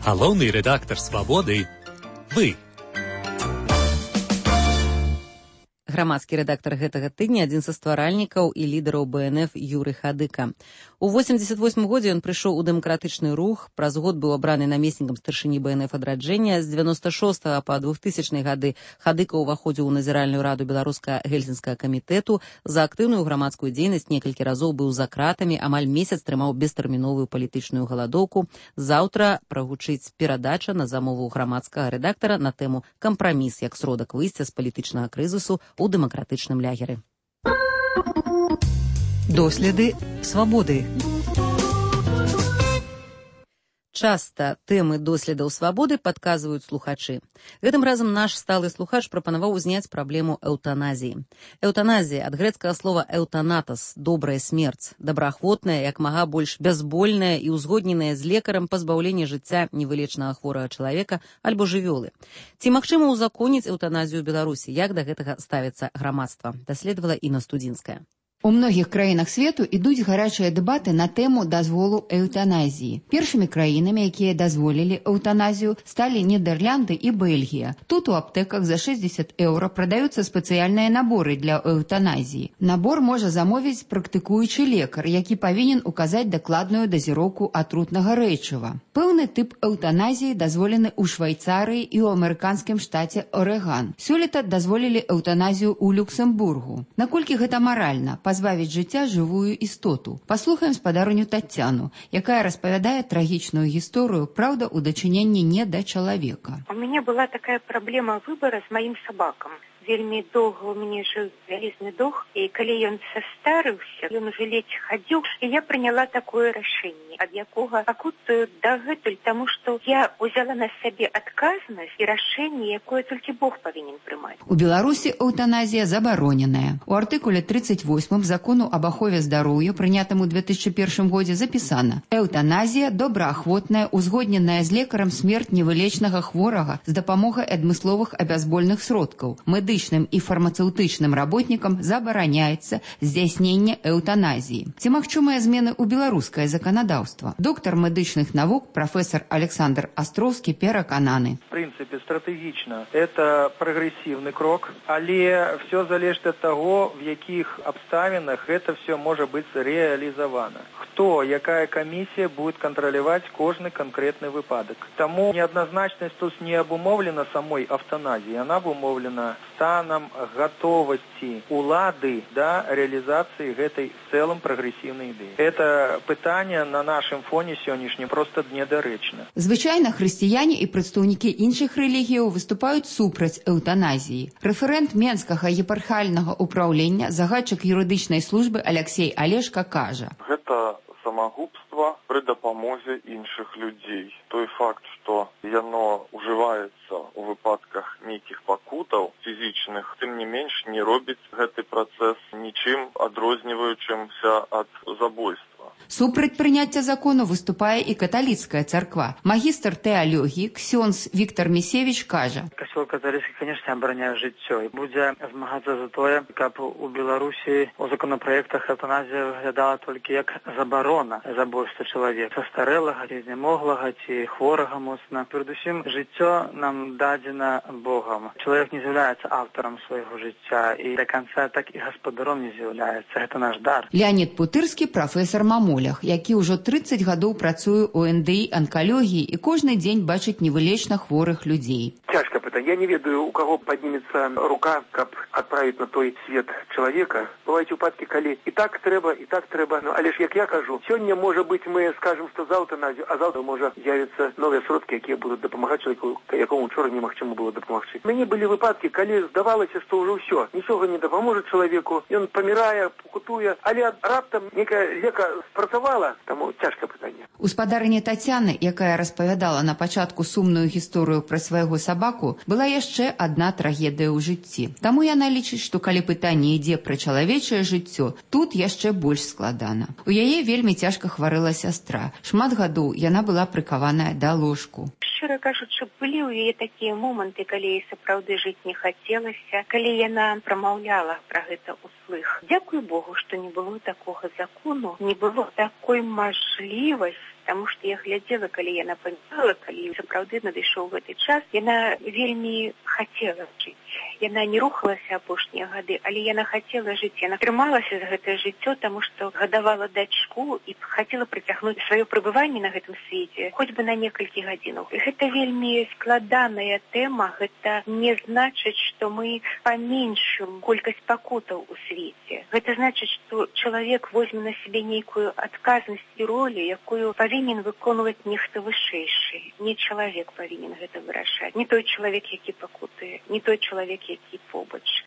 S21: Галоўны рэдактар «Свабоды» – вы.
S1: Грамадскі рэдактар гэтага тыдня, адзін са стваральнікаў і лідараў бэ эн эф Юрый Хадыка. У восемьдесят восьмым годзе ён прыйшоў у дэмакратычны рух, праз год быў абраны намеснікам старшыні бэ эн эф адраджэння. З девяносто шостага па двухтысячныя гады Хадыка ўваходзіў у назіральную раду беларуска-гельсінскага камітэту. За актыўную грамадскую дзейнасць некалькі разоў быў за кратамі, амаль месяц трымаў бестэрміновую палітычную галадоўку. Заўтра прагучыць перадача на замову грамадскага рэдактара на тэму «Кампраміс як сродак выйсця з палітычнага крызісу у дэмакратычным лягеры».
S8: Доследы свабоды.
S1: Часта тэмы доследаў свабоды падказваюць слухачы. Гэтым разам наш сталы слухач прапанаваў узняць праблему эўтаназіі. Эўтаназія ад грэцкага слова «эўтанатас» – добрая смерць, добраахвотная, як мага больш бязбольная і ўзгодненая з лекарам пазбаўленне жыцця невылечнага хворага чалавека альбо жывёлы. Ці магчыма ўзаконіць эўтаназію ў Беларусі? Як да гэтага ставіцца грамадства? Даследавала Інна Студзінская.
S4: У многіх краінах свету ідуць гарачыя дэбаты на тэму дазволу эўтаназіі. Першымі краінамі, якія дазволілі эўтаназію, сталі Нідерланды і Бельгія. Тут у аптэках за шэсцьдзесят еўра прадаюцца спецыяльныя наборы для эўтаназіі. Набор можа замовіць практыкуючы лекар, які павінен указаць дакладную дазіроўку атрутнага рэчыва. Пэўны тып эўтаназіі дазволены ў Швайцарыі і ў амерыканскім штаце Орэган. Сёлета дазволілі эўтаназію ў Люксембургу. Наколькі гэта маральна? Пазбавіць жыцця жывую істоту. Паслухаем спадарню Таццяну, якая распавядае трагічную гісторыю, праўда, у дачыненні не да чалавека.
S5: У мяне была такая праблема выбара з маім сабакам. Вельмі доўга ў мяне жыў вялізны дох, і калі ён састарыўся, ён уже ледзь хадзіў, і я прыняла такое рашэнне, ад якога пакутую дагэтуль, таму што я ўзяла на сябе адказнасць і рашэнне, якое толькі Бог павінен прымаць.
S4: У Беларусі эўтаназія забароненая. У артыкуле тридцать восьмым закону об ахове здароўя, прынятым у две тысячи первым годзе, запісана: эўтаназія добраахвотная, узгодненая з лекарам смерць невылечнага хворага з дапамогай адмысловых абязбольных сродкаў. Медычным і фармацэўтычным работнікам забараняецца здзяйсненне эўтаназіі. Ці магчымыя змены ў беларускае заканадаўства? Доктар медычных навук, прафесор Александр Астроўскі перакананы.
S6: В принципе, стратегічна. Это прагрэсіўны крок, але все залежыць ад таго, в якіх абставінах гэта все можа быць рэалізавана. Хто, якая камісія будет кантраляваць кожны канкрэтны выпадак. Таму неадназначнасць тут не абумоўлена самой эўтаназіі, яна абумоўлена станам гатовасці улады да рэалізацыі гэтай в цэлым прагрэсіўнай ідэі. Это пытанне на нашым фоне сённяшнім проста недарэчна.
S4: Звычайна хрысціяне і прадстаўнікі іншых рэлігіяў выступаюць супраць эўтаназіі. Рэферэнт Менскага епархіяльнага ўпраўлення, загадчык юрыдычнай службы Алексей Алешка кажа:
S7: гэта самагубства пры дапамозе іншых людзей. Той факт, што яно ўжываецца ў выпадках нейкіх пакутаў фізічных, тым не менш не робіць гэты працэс нічым адрозніваючымся ад забойства.
S4: Супраць прыняцця закону выступае і каталіцкая царква. Магістр тэалогіі ксёндз Віктор Місевіч кажа:
S9: Касцёл каталіцкі, конечно, абараняе жыццё і будзе змагацца за тое, каб у Беларусі у законапраектах эўтаназія выглядала толькі як забарона забойства чалавека, састарэлага, ці знямоглага, ці хворага моцна. Перадусім, жыццё нам дадзена Богам. Чалавек не з'яўляецца аўтарам свайго жыцця і да канца так і гаспадаром не з'яўляецца. Гэта наш дар.
S4: Леонід Путырскі, прафесар Маму, які ўжо трыццаць гадоў працуе ў эн дэ і анкалогіі і кожны дзень бачыць невылечна хворых людзей.
S10: Цяжка пытанне. Я не ведаю, у каго паднімецца рука, каб адправіць на той свет чалавека. Бываюць выпадкі, калі і так трэба, і так трэба. Ну, але ж, як я кажу, сёння, можа быць, мы скажам, што за эўтаназію, а заўтра можа з'явіцца новыя сродкі, якія будуць дапамагаць чалавеку, якому ўчора немагчыма было дапамагчы. Мяне былі выпадкі, калі здавалася, што ўжо ўсё, нічога не дапаможа чалавеку, ён памірае, пакутуе, але раптам некая лека спрацавала, таму цяжкае пытанне.
S4: Гаспадарыня Тацяны, якая распавядала на пачатку сумную гісторыю пра свайго сабаку, была яшчэ адна трагедыя ў жыцці. Таму яна лічыць, што калі пытанне ідзе пра чалавечае жыццё, тут яшчэ больш складана. У яе вельмі цяжка хварэла сястра. Шмат гадоў яна была прыкаваная да ложку.
S5: Шчыра кажучы, былі ў яе такія моманты, калі ёй сапраўды жыць не хацелася, калі яна прамаўляла пра гэта ўслых. Дзякуй Богу, што не было такога закону, не было такой мажлівасці, таму што я глядзела, калі яна памірала, калі сапраўды надышоў гэты час, яна вельмі хацела жыць. Яна не рухалася апошнія гады, але яна хацела жыць. Яна трымалася за гэтае жыццё, таму што гадавала дачку і хацела прыцягнуць сваё прыбыванне на гэтым свеце хоць бы на некалькі гадзінаў. І гэта вельмі складаная тэма. Гэта не значыць, што мы паменшым колькасць пакутаў у свеце. Гэта значыць, што чалавек возьме на сябе нейкую адказнасць і ролю, якую павінен выконваць нехта вышэйшы. Не чалавек павінен гэта вырашаць. Не той чалавек, які пакутуе, не той чалавек, які побач.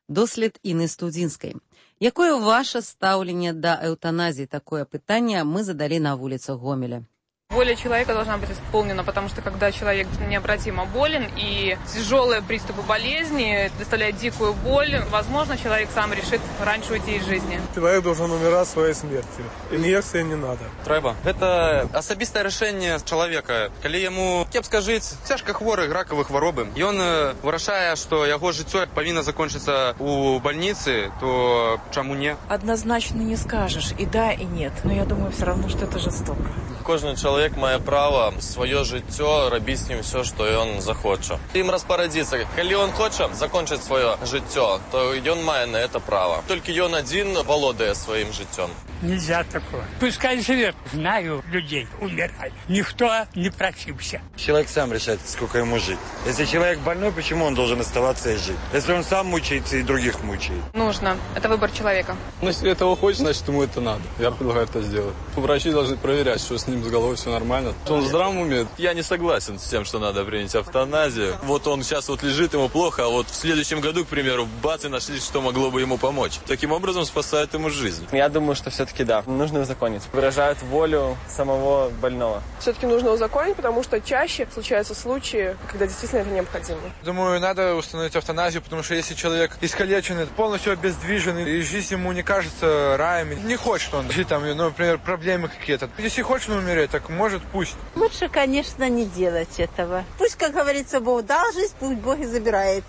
S1: Дослед Інны Студзінскай. Якое ваше стаўленне да эўтаназіі? Такое пытанне мы задалі на вуліцах Гомеля.
S17: Воля человека должна быть исполнена, потому что когда человек необратимо болен и тяжелые приступы болезни доставляют дикую боль, возможно, человек сам решит раньше уйти из жизни.
S11: Человек должен умирать своей смертью. Инъекции не надо.
S12: Трэба. Это особистое решение человека. Калі ему кепска жить, цяжка хворы, ракавы хваробы, и он вырашае, что его жыццё повинно закончиться у больницы, то чему не?
S22: Однозначно не скажешь, и да, и нет. Но я думаю все равно, что это жестоко.
S7: Кожны чалавек мае права сваё жыццё рабіць з ім все, што ён захоча. Ім распарадзіцца. Калі ён хоча закончыць сваё жыццё, то ён мае на это право. Толькі ён адзін валодае сваім жыццём.
S24: Нельзя такое. Пускай живет. Знаю людей, умирали. Никто не просился.
S25: Человек сам решает, сколько ему жить. Если человек больной, почему он должен оставаться и жить? Если он сам мучается и других мучает.
S17: Нужно. Это выбор человека.
S29: Ну, если этого хочет, значит, ему это надо. Я предлагаю это сделать. Врачи должны проверять, что с ним с головой все нормально. Что он в здравом уме.
S7: Я не согласен с тем, что надо принять эвтаназию. Вот он сейчас вот лежит, ему плохо, а вот в следующем году, к примеру, бац, и нашли, что могло бы ему помочь. Таким образом спасает ему жизнь.
S30: Я думаю, что все-таки да, нужно узаконить. Выражают волю самого больного.
S15: Все-таки нужно узаконить, потому что чаще случаются случаи, когда действительно это необходимо.
S11: Думаю, надо установить эвтаназию, потому что если человек искалеченный, полностью обездвиженный, и жизнь ему не кажется раем, не хочет он жить там, ну, например, проблемы какие-то. Если хочет он умереть, так может, пусть.
S31: Лучше, конечно, не делать этого. Пусть, как говорится, Бог дал жизнь, пусть Бог и забирает.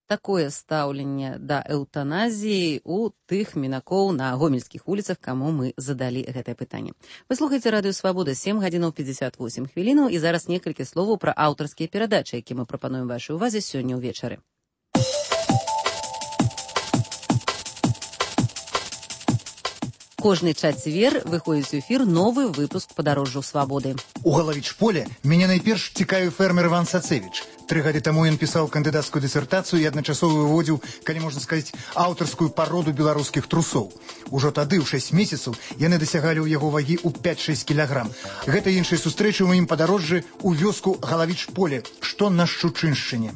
S1: Такое стаўленне да эўтаназіі у тых мінакоў на гомельскіх вуліцах, каму мы задалі гэтае пытанне. Вы слухаеце радыё Свабода, сем гадзінаў пятьдесят восемь хвілінаў, і зараз некалькі словаў пра аўтарскія перадачы, які мы прапануем вашай увазе сёння ўвечары. Кожны чацвер выходзіць у эфір новы выпуск падарожжаў свабоды.
S32: У Галавіч-поле мяне найперш цікавіў фермер Іван Сацевіч. Тры гады таму ён пісаў кандыдацкую дысертацыю і адначасова выводзіў, калі можна сказаць, аўтарскую пароду беларускіх трусоў. Ужо тады, ў шэсць месяцаў, яны дасягалі ў яго вагі ў пять-шэсць кілаграм. Гэта іншай сустрэчы ў маім падарожжы ў вёску Галавіч-поле, што на Шчучыншчыне.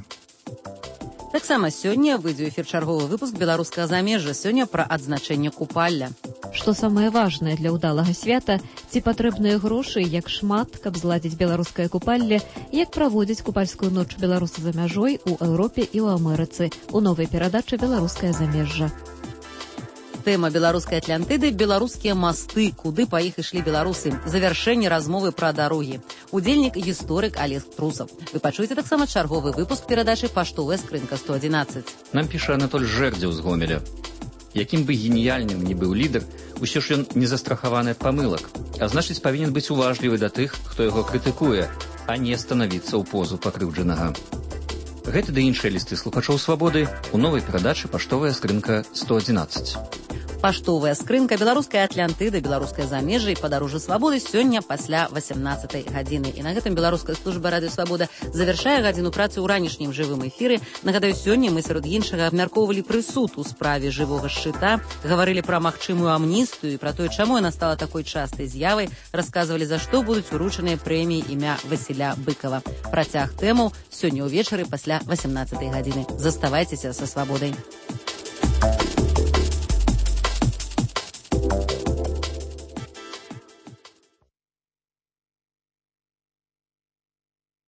S1: Таксама сёння выйдзе ў эфір чарговы выпуск беларускага замежжа, сёння пра адзначэнне купалля.
S2: Што самае важнае для ўдалага свята, ці патрэбныя грошы, як шмат, каб зладзіць беларускае купалле, як праводзіць купальскую ноч беларусы за мяжой у Еўропе і ў Амерыцы у новай перадачы «Беларускае замежжа».
S1: Тэма беларускай Атлантыды – беларускія масты, куды па іх ішлі беларусы. Завяршэнне размовы пра дарогі. Удзельнік гісторык Олег Трусов. Вы пачуеце таксама чарговы выпуск перадачы «Паштовая скрынка сто адзінаццаць».
S3: Нам піша Анатоль Жэрдзеў з Гомеля. Якім бы геніяльным ні быў лідар, усё ж ён не застрахаваны ад памылак, а значыць павінен быць уважлівы да тых, хто яго крытыкуе, а не станавіцца ў позу пакрыўджанага. Гэты ды іншыя лісты слухачоў «Свабоды» у новай перадачы «Паштовая скрынка сто адзінаццаць».
S1: Паштовая скрынка, беларуская Атлантыда, беларускае замежжа і падарожжа свабоды сёння пасля васямнаццатай гадзіны. І на гэтым беларуская служба радыё «Свабода» завяршае гадзіну працы ў ранішнім жывым эфіры. Нагадаю, сёння мы сярод іншага абмяркоўвалі прысуд у справе жывога шчыта, гаварылі пра магчымую амністыю і пра тое, чаму яна стала такой частай з'явай, расказвалі, за што будуць уручаныя прэміі імя Васіля Быкова. Працяг тэмаў сёння ўвечары пасля васямнацатай гадзіны. Заставайцеся са «Свабодай».